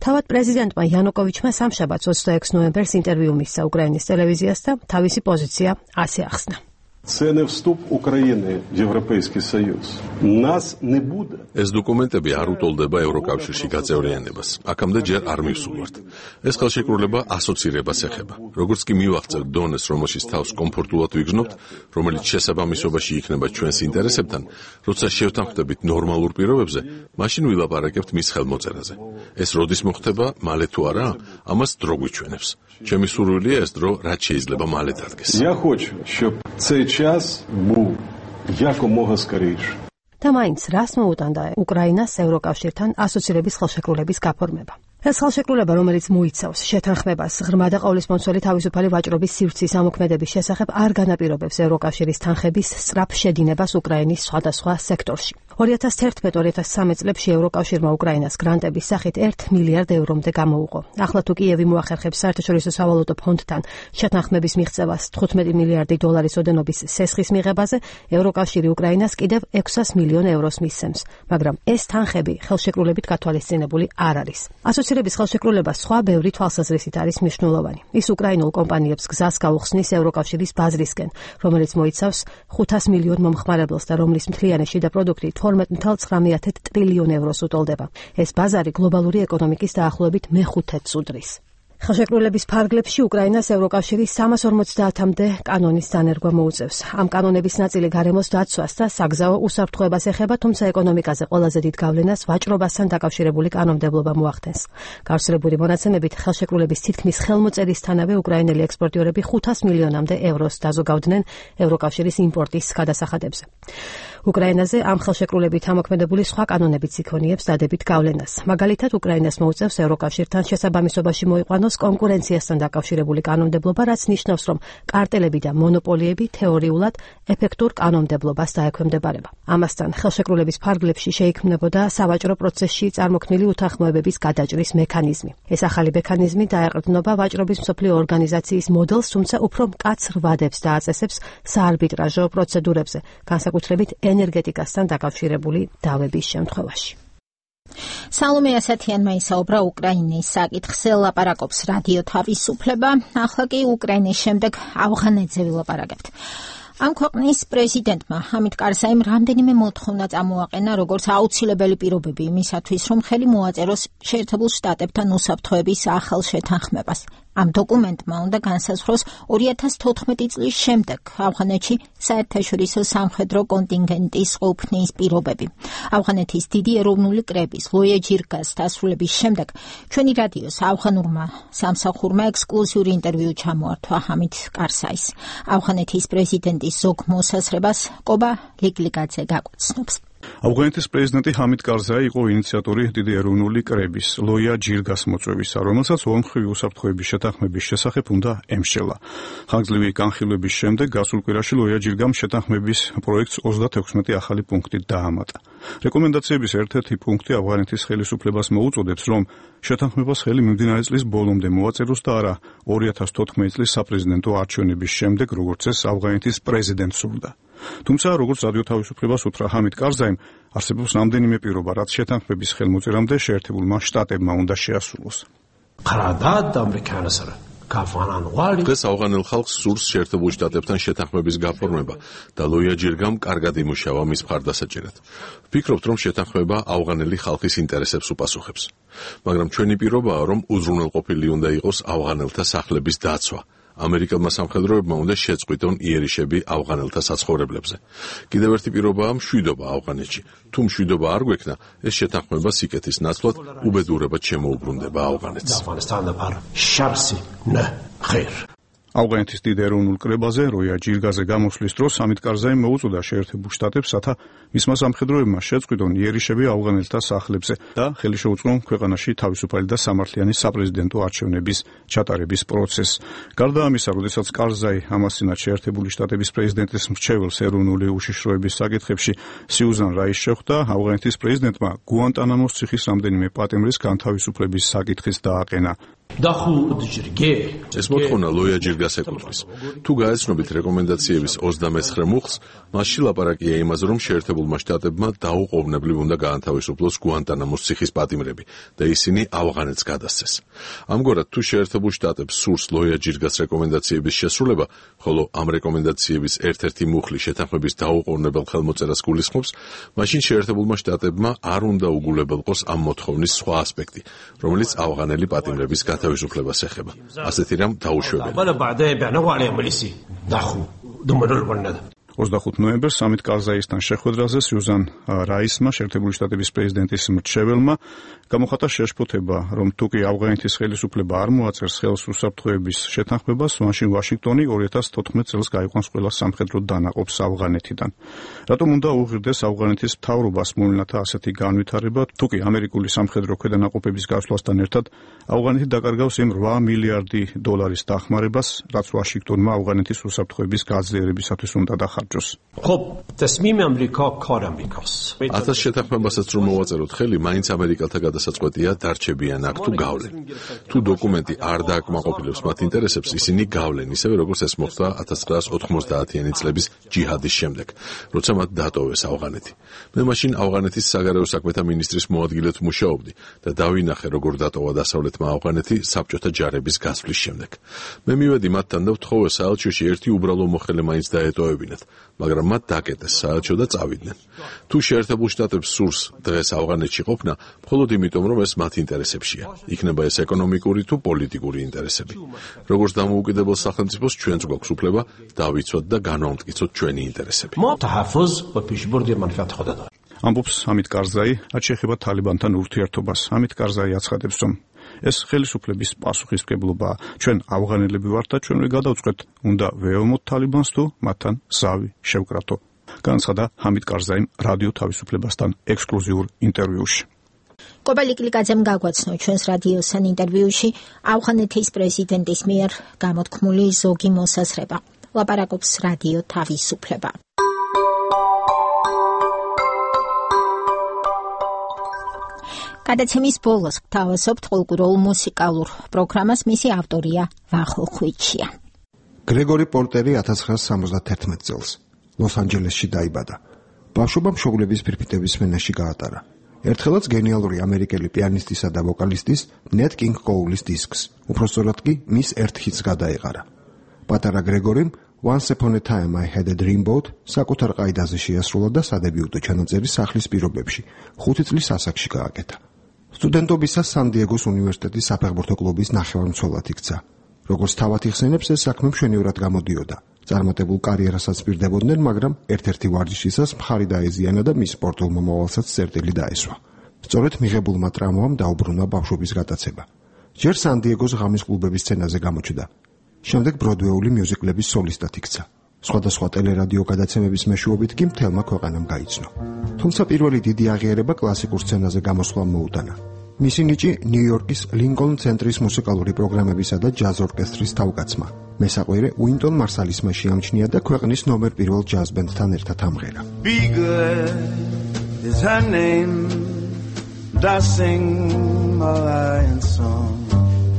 თავად პრეზიდენტმა იანუკოვიჩმა სამშაბათს ოცდაექვსი ნოემბერს ინტერვიუ მისცა უკრაინის ტელევიზიას და თავისი პოზიცია ასე ახსნა. Це не вступ України в Європейський Союз. Нас не буде. ეს დოკუმენტები არ უტოლდება ევროკავშირში გაწევრიანებას. აქამდე ჯერ არ მივსულვართ. ეს ხელშეკრულება ასოცირებას ეხება. როგორც კი მივახცევთ დონეს, რომელშიც თავს კომფორტულად ვიგრძნობთ, რომელიც შესაბამისობაში იქნება ჩვენს ინტერესებთან, როცა შევთანხმდებით ნორმალურ პირობებზე, მაშინ ვილაპარაკებთ მის ხელმოწერაზე. ეს როდის მოხდება, მალე თუ არა, ამას დრო გვიჩვენებს. ჩემი სურვილია ეს დრო რაც შეიძლება მალე დადგეს. Я хочу, щоб цей час був якомога скоріше. და მაინც რას მოუტანდა უკრაინას ევროკავშირთან ასოცირების ხელშეკრულების გაფორმება? ეს ხელშეკრულება, რომელიც მოიცავს შეთანხმებას ღრმა და ყოვლისმომცველი თავისუფალი ვაჭრობის სივრცის ამოქმედების შესახებ, არ განაპირობებს ევროკავშირის თანხების სწრაფ შედინებას უკრაინის სხვადასხვა სექტორში. ორი ათას თერთმეტ ორი ათას სამი წლებში ევროკავშირმა უკრაინას გრანტების სახით ერთი მილიარდ ევრომდე გამოუყო. ახლა თუ კიევი მოახერხებს საერთაშორისო სავალუტო ფონდთან შეთანხმების მიღწევას თხუთმეტი მილიარდი დოლარის ოდენობის სესხის მიღებაზე, ევროკავშირი უკრაინას კიდევ ექვსას მილიონ ევროს მისცემს, მაგრამ ეს თანხები ხელშეკრულებით გათვალისწინებული არ არის. ასოცირების ხელშეკრულება სხვა ბევრი თვალსაზრისით არის მნიშვნელოვანი. ის უკრაინულ კომპანიებს გზას გაუხსნის ევროკავშირის ბაზრისკენ, რომელიც მოიცავს ხუთას მილიონ მომხმარებელს და რომლის მთლიანი შიდა პროდუქტი თორმეტ ნული ცხრამეტ ტრილიონ ევროს უტოლდება. ეს ბაზარი გლობალური ეკონომიკის დაახლოებით მეხუთედს უდრის. ხელშეკრულების ფარგლებში უკრაინას ევროკავშირი სამას ორმოცდაათამდე კანონის დანერგვა მოუწევს. ამ კანონების ნაწილი გარემოს დაცვას და საგზაო უსაფრთხოებას ეხება, თუმცა ეკონომიკაზე ყველაზე დიდ გავლენას ვაჭრობასთან დაკავშირებული კანონმდებლობა მოახდენს. გავრცელებული მონაცემებით ხელშეკრულების თითქმის ხელმოწერისთანავე უკრაინელი ექსპორტიორები ხუთას მილიონამდე ევროს დაზოგავდნენ ევროკავშირის იმპორტის გადასახადებზე. უკრაინაზე ამ ხელშეკრულებით ამოქმედებული სხვა კანონებიც იქონიებს დადებით გავლენას. მაგალითად, უკრაინას მოუწევს ევროკავშირთან შესაბამისობაში მოიყვანოს ჰყავს კონკურენციასთან დაკავშირებული კანონმდებლობა, რაც ნიშნავს, რომ კარტელები და მონოპოლიები თეორიულად ეფექტურ კანონმდებლობას დაექვემდებარება. ამასთან, ხელშეკრულების ფარგლებში შეიქმნებოდა სავაჭრო პროცესში წარმოქმნილი უთანხმოებების გადაჭრის მექანიზმი. ეს ახალი მექანიზმი დაეყრდნობა ვაჭრობის მსოფლიო ორგანიზაციის მოდელს, თუმცა უფრო მკაცრ ვადებს დააწესებს საარბიტრაჟო პროცედურებზე, განსაკუთრებით ენერგეტიკასთან დაკავშირებული დავების შემთხვევაში. სალომე ასათიანმა ისაუბრა უკრაინის საკითხზე, ლაპარაკობს რადიო თავისუფლება, ახლა კი უკრაინის შემდეგ ავღანეთზე ვილაპარაკებთ. ამ ქვეყნის პრეზიდენტმა ჰამიდ კარზაიმ რამდენიმე მოთხოვნა წამოაყენა, როგორც აუცილებელი პირობები იმისათვის, რომ ხელი მოაწეროს შეერთებულ შტატებთან უსაფრთხოების ახალ შეთანხმებას. ამ დოკუმენტმა უნდა განსაზღვროს ორი ათას თოთხმეტი წლის შემდეგ ავღანეთში საერთაშორისო სამხედრო კონტინგენტის ყოფნის პირობები. ავღანეთის დიდი ეროვნული კრების ლოია ჯირგას დასრულების შემდეგ ჩვენი რადიოს ავღანურმა სამსახურმა ექსკლუზიური ინტერვიუ ჩამოართვა ჰამიდ კარზაის. ავღანეთის პრეზიდენტის ზოგ მოსაზრებას კობა ლიგლიგაძე გაგვაცნობს. ავღანეთის პრეზიდენტი ჰამიდ კარზაი იყო ინიციატორი დიდი ეროვნული კრების ლოია ჯირგას მოწვევისა, რომელსაც ორმხრივი უსაფრთხოების შეთანხმების შესახებ უნდა ემშელა. ხანგრძლივი განხილვების შემდეგ გასულ კვირაში ლოია ჯირგამ შეთანხმების პროექტს ოცდათექვსმეტი ახალი პუნქტით დაამატა. რეკომენდაციების ერთ-ერთი პუნქტი ავღანეთის ხელისუფლებას მოუწოდებს, რომ შეთანხმებას ხელი მიმდინარე წლის ბოლომდე მოაწეროს და არა ორი ათას თოთხმეტი წლის საპრეზიდენტო არჩევნების შემდეგ, როგორც ეს ავღანეთის პრეზიდენტს სურდა. თუმცა, როგორც რადიო თავისუფლებას უთხრა ჰამიდ კარზაიმ, არსებობს რამდენიმე პირობა, რაც შეთანხმების ხელმოწერამდე შეერთებულმა შტატებმა უნდა შეასრულოს. დღეს ავღანელ ხალხს სურს შეერთებულ შტატებთან შეთანხმების გაფორმება და ლოია ჯირგამ კარგად იმუშავა მის მხარდასაჭერად. ვფიქრობთ, რომ შეთანხმება ავღანელი ხალხის ინტერესებს უპასუხებს. მაგრამ ჩვენი პირობაა, რომ უზრუნველყოფილი უნდა იყოს ავღანელთა სახლების დაცვა. ამერიკელმა სამხედროებმა უნდა შეწყვიტონ იერიშები ავღანელთა საცხოვრებლებზე. კიდევ ერთი პირობაა მშვიდობა ავღანეთში. თუ მშვიდობა არ გვექნა, ეს შეთანხმება სიკეთის ნაცვლად უბედურებად შემოუბრუნდება ავღანეთს. ავღანეთის დიდ ეროვნულ კრებაზე როია ჯირგაზე გამოსვლის დროს ჰამიდ კარზაიმ მოუწოდა შეერთებულ შტატებს, რათა მისმა სამხედროებმა შეწყვიტონ იერიშები ავღანელთა სახლებზე და ხელი შეუწყონ ქვეყანაში თავისუფალი და სამართლიანი საპრეზიდენტო არჩევნების ჩატარების პროცესს. გარდა ამისა, როდესაც კარზაი ამასინა შეერთებული შტატების პრეზიდენტის მრჩეველს ეროვნული უშიშროების საკითხებში სიუზან რაის შეხვდა, ავღანეთის პრეზიდენტმა გუანტანამოს ციხის რამდენიმე პატიმრის განთავისუფლების საკითხიც დააყენა. ეს მოთხოვნა ლოია ჯირგას ეკუთვნის. თუ გაეცნობით რეკომენდაციების ოცდამეცხრე მუხლს, მასში ლაპარაკია იმაზე, რომ შეერთებულმა შტატებმა დაუყოვნებლივ უნდა გაანთავისუფლოს გუანტანამოს ციხის პატიმრები და ისინი ავღანეთს გადასცეს. ამგვარად, თუ შეერთებულ შტატებს სურს ლოია ჯირგას რეკომენდაციების შესრულება, ხოლო ამ რეკომენდაციების ერთ-ერთი მუხლი შეთანხმების დაუყოვნებელ ხელმოწერას გულისხმობს, მაშინ შეერთებულმა შტატებმა არ უნდა უგულებელყოს ამ მოთხოვნის სხვა ასპექტი, რომელიც ავღანელი პატიმრების თავისუფლებას ეხება. ასეთი რამ დაუშვებელია. ოცდახუთი ნოემბერს ჰამიდ კარზაისთან შეხვედრაზე სიუზან რაისმა, შეერთებული შტატების პრეზიდენტის მრჩეველმა, გამოხატა შეშფოთება, რომ თუკი ავღანეთის ხელისუფლება არ მოაწერს ხელს უსაფრთხოების შეთანხმებას, მაშინ ვაშინგტონი ორი ათას თოთხმეტი წელს გაიყვანს ყველა სამხედრო დანაყოფს ავღანეთიდან. რატომ უნდა უღირდეს ავღანეთის მთავრობას მოვლენათა ასეთი განვითარება, თუკი ამერიკული სამხედრო ქვედანაყოფების გასვლასთან ერთად ავღანეთი დაკარგავს იმ რვა მილიარდი დოლარის დახმარებას, რაც ვაშინგტონმა ავღანეთის უსაფრთხოების გაძლიერებისათვის უნდა დახარჯოს. ათას შეთანხმებასაც რომ მოვაწეროთ ხელი, მაინც ამერიკელთა გადასაწყვეტია დარჩებიან აქ თუ გავლენ. თუ დოკუმენტი არ დააკმაყოფილებს მათ ინტერესებს, ისინი გავლენ, ისევე როგორც ეს მოხდა ათას ცხრაას ოთხმოცდაათიანი წლების ჯიჰადის შემდეგ, როცა მათ დატოვეს ავღანეთი. მე მაშინ ავღანეთის საგარეო საქმეთა მინისტრის მოადგილედ მუშაობდი და დავინახე, როგორ დატოვა დასავლეთმა ავღანეთი საბჭოთა ჯარების გასვლის შემდეგ. მე მივედი მათთან და ვთხოვე საელჩოში ერთი უბრალო მოხელე მაინც დაეტოვებინათ, მაგრამ მათ დაკეტეს საელჩო და წავიდნენ. თუ შეერთებულ შტატებს სურს დღეს ავღანეთში ყოფნა, მხოლოდ იმიტომ, რომ ეს მათ ინტერესებშია. იქნება ეს ეკონომიკური თუ პოლიტიკური ინტერესები. როგორც დამოუკიდებელ სახელმწიფოს ჩვენც გვაქვს უფლება დავიცვათ და განვამტკიცოთ ჩვენი ინტერესები. ამბობს ჰამიდ კარზაი, რაც შეეხება თალიბანთან ურთიერთობას. ჰამიდ კარზაი აცხადებს, რომ ეს ხელისუფლების პასუხისმგებლობაა. ჩვენ ავღანელები ვართ და ჩვენ ვერ გადავწყვეტ, უნდა ვეომოთ თალიბანს თუ მათთან ზავი შევკრათო. განაცხადა ჰამიდ კარზაიმ რადიო თავისუფლებასთან ექსკლუზიურ ინტერვიუში. კობალი კლიკაძემ გაგვაცნო ჩვენს რადიოსთან ინტერვიუში ავღანეთის პრეზიდენტის მიერ გამოთქმული ზოგი მოსაზრება. ლაპარაკობს რადიო თავისუფლება. გადაცემის ბოლოს გთავაზობთ კულტურულ მუსიკალურ პროგრამას, მისი ავტორია ვახო ხვიჩია. გრეგორი პორტერი ათას ცხრაასა სამოცდათერთმეტ წელს ლოს-ანჯელესში დაიბადა. ბავშვობა მშობლების ფირფიტების სმენაში გაატარა. ერთხელაც გენიალური ამერიკელი პიანისტისა და ვოკალისტის ნეტ კინგ კოულის დისკს, უпростоრად კი მის ერთ ჰიტს გადაეყარა. პატარა გრეგორიმ Once Upon a Time I Had a Dreamboat საკუთარ ყაიდაზე შეასრულა და სადებიუტო ჩანაწერი სახლის პირობებში ხუთი წლის ასაკში გააკეთა. სტუდენტობისას სან-დიეგოს უნივერსიტეტის საფეხბურთო კლუბის ნახევარმცველად იქცა. როგორც თავად იხსენებს, ეს საქმე მშვენივრად გამოდიოდა. წარმატებულ კარიერასაც პირდებოდნენ, მაგრამ ერთ-ერთი ვარჯიშისას მხარი დაეზიანა და მის სპორტულ მომავალსაც წერტილი დაესვა. სწორედ მიღებულმა ტრამვამ დაუბრუნა ბავშვობის გატაცება. ჯერ სან-დიეგოს ღამის კლუბების სცენაზე გამოჩნდა. შემდეგ ბროდვეული მიუზიკლების სოლისტად იქცა. სხვადასხვა ტელერადიო გადაცემების მეშვეობით კი მთელმა ქვეყანამ გაიცნო. თუმცა პირველი დიდი აღიარება კლასიკურ სცენაზე გამოსვლამ მოუტანა. მისი ნიჭი ნიუ-იორკის ლინკოლნ ცენტრის მუსიკალური პროგრამებისა და ჯაზ ორკესტრის თავკაცმა, მესაყვირე უინტონ მარსალისმა შეამჩნია და ქვეყნის ნომერ პირველ ჯაზ ბენდთან ერთად ამღერა. Be good is her name, does sing my lion song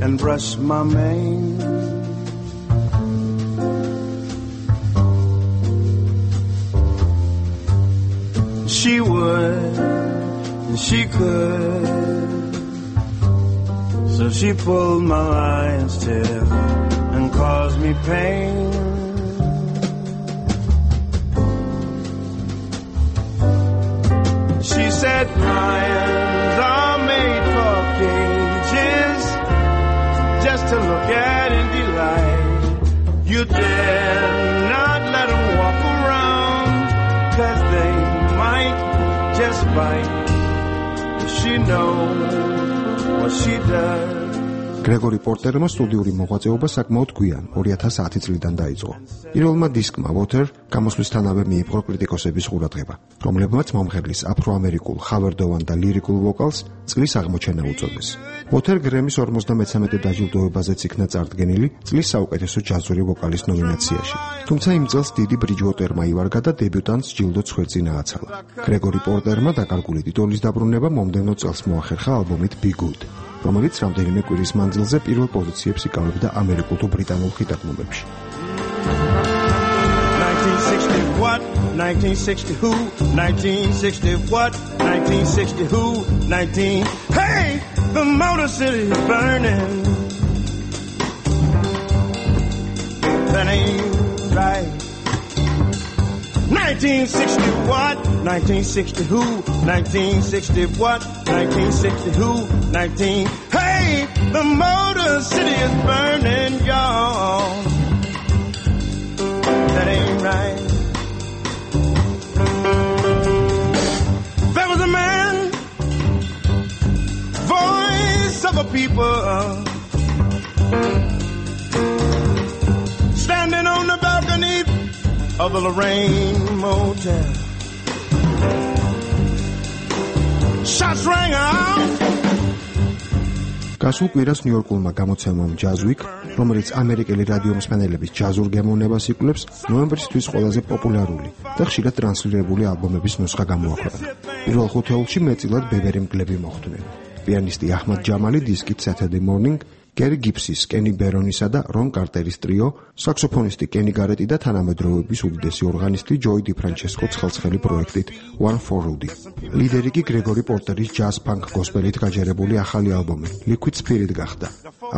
and brush my mane. She would, and she could, so she pulled my lion's tail and caused me pain. She said lions are made for cages, just to look at and delight. You dare not let them walk around, 'cause they might just bite. She knows what she does. გრეგორი პორტერმა სტუდიური მოღვაწეობა საკმაოდ გვიან ორი ათას ათი წლიდან დაიწყო. პირველმა დისკმა Water გამოსვლისთანავე მიიპყრო კრიტიკოსების ყურადღება, რომლებმაც მომღერლის აფროამერიკულ, ხავერდოვან და ლირიკულ ვოკალს წლის აღმოჩენა უწოდეს. Water გრემის ორმოცდამეცამეტე დაჯილდოებაზეც იქნა წარდგენილი წლის საუკეთესო ჯაზური ვოკალის ნომინაციაში. თუმცა იმ წელს დიდი ბრიჯვოტერმა ივარგა და დებიუტანტს ჯილდოც ხვეწინა აცალა. გრეგორი პორტერმა დაკარგული ტიტულის დაბრუნება მომდევნო წელს მოახერხა ალბომით Be Good, რომელიც რამდენიმე კვირის მანძილზე პირველ პოზიციებს იკავებდა ამერიკულ თუ ბრიტანულ ხიტ-ალბომებში. nineteen sixty what? nineteen sixty who? nineteen sixty what? nineteen sixty who? nineteen Hey, the Motor City is burning. That ain't right. nineteen sixty what? nineteen sixty who? nineteen sixty what? nineteen sixty who? nineteen Hey, the Motor City is burning, y'all. That ain't right. There was a man, voice of a people, standing on the balcony of the Lorraine Motel. Shots rang out. გასულ კვირას ნიუ-იორკულმა გამოცემამ Jazz Week, რომელიც ამერიკელი რადიო მსმენელების ჯაზურ გემოვნებას იკვლევს, ნოემბრისთვის ყველაზე პოპულარული და ხშირად ტრანსლირებული ალბომების ნუსხა გამოაქვეყნა. პირველ ხუთეულში მეტწილად ბებერი მგლები მოხვდნენ. პიანისტი აჰმად ჯამალი დისკით Saturday Morning, გერი გიფსის, კენი ბერონისა და რონ კარტერის ტრიო, საქსოფონისტი კენი გარეტი და თანამედროვეების უდიდესი ორღანისტი ჯოი დი ფრანჩესკო ცხელცხელი პროექტით One for Rudy. ლიდერი კი გრეგორი პორტერის ჯაზ ფანკ გოსპელით გაჯერებული ახალი ალბომი Liquid Spirit გახდა.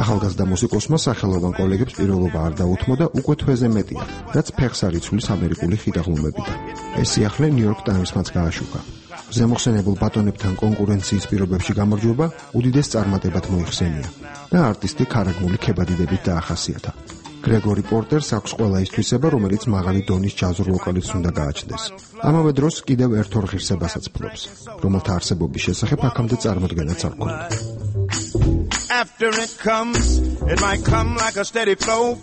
ახალგაზრდა მუსიკოსმა სახელოვან კოლეგებს პირველობა არ დაუთმო და უკვე თვეზე მეტია, რაც ფეხს არ იცვლის ამერიკული ხიტაღლუმებიდან. ეს სიახლე New York Times-მაც გააშუქა. ზემოხსენებულ ბატონებთან კონკურენციის პირობებში გამარჯვება უდიდეს წარმატებად მოიხსენია და არტისტი ქარაგმული ქებადიდებით დაახასიათა. გრეგორი პორტერს აქვს ყველა ის თვისება, რომელიც მაღალი დონის ჯაზურ ვოკალისტს უნდა გააჩნდეს. ამავე დროს კიდევ ერთ ორ ღირსებასაც ფლობს, რომელთა არსებობის შესახებ აქამდე წარმოდგენაც არ ჰქონდა. After it comes, it might come like a steady flow.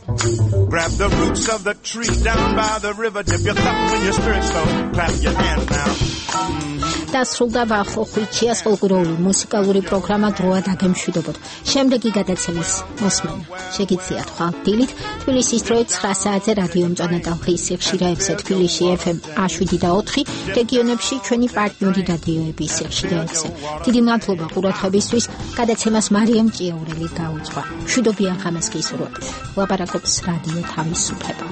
Grab the roots of the tree down by the river, dip your cup in your spirit slow. Clap your hands now. Mm-hmm. დასრულდა ვახო ხვიჩიას ფოლკლორული მუსიკალური პროგრამა დროა დაგემშვიდობოთ. შემდეგი გადაცემის მოსმენა შეგიძლიათ ხვალ დილით თბილისის დროით ცხრა საათზე რადიო მწვანე ტალღის სიხშირეებზე თბილისში ეფ ემ შვიდ და ოთხი, რეგიონებში ჩვენი პარტნიორი რადიოების სიხშირეებზე. დიდი მადლობა ყურადღებისთვის. გადაცემას მარიამ ჭიაურელი გაუძღვა. მშვიდობიან ღამეს გისურვებთ. ლაპარაკობს რადიო თავისუფლება.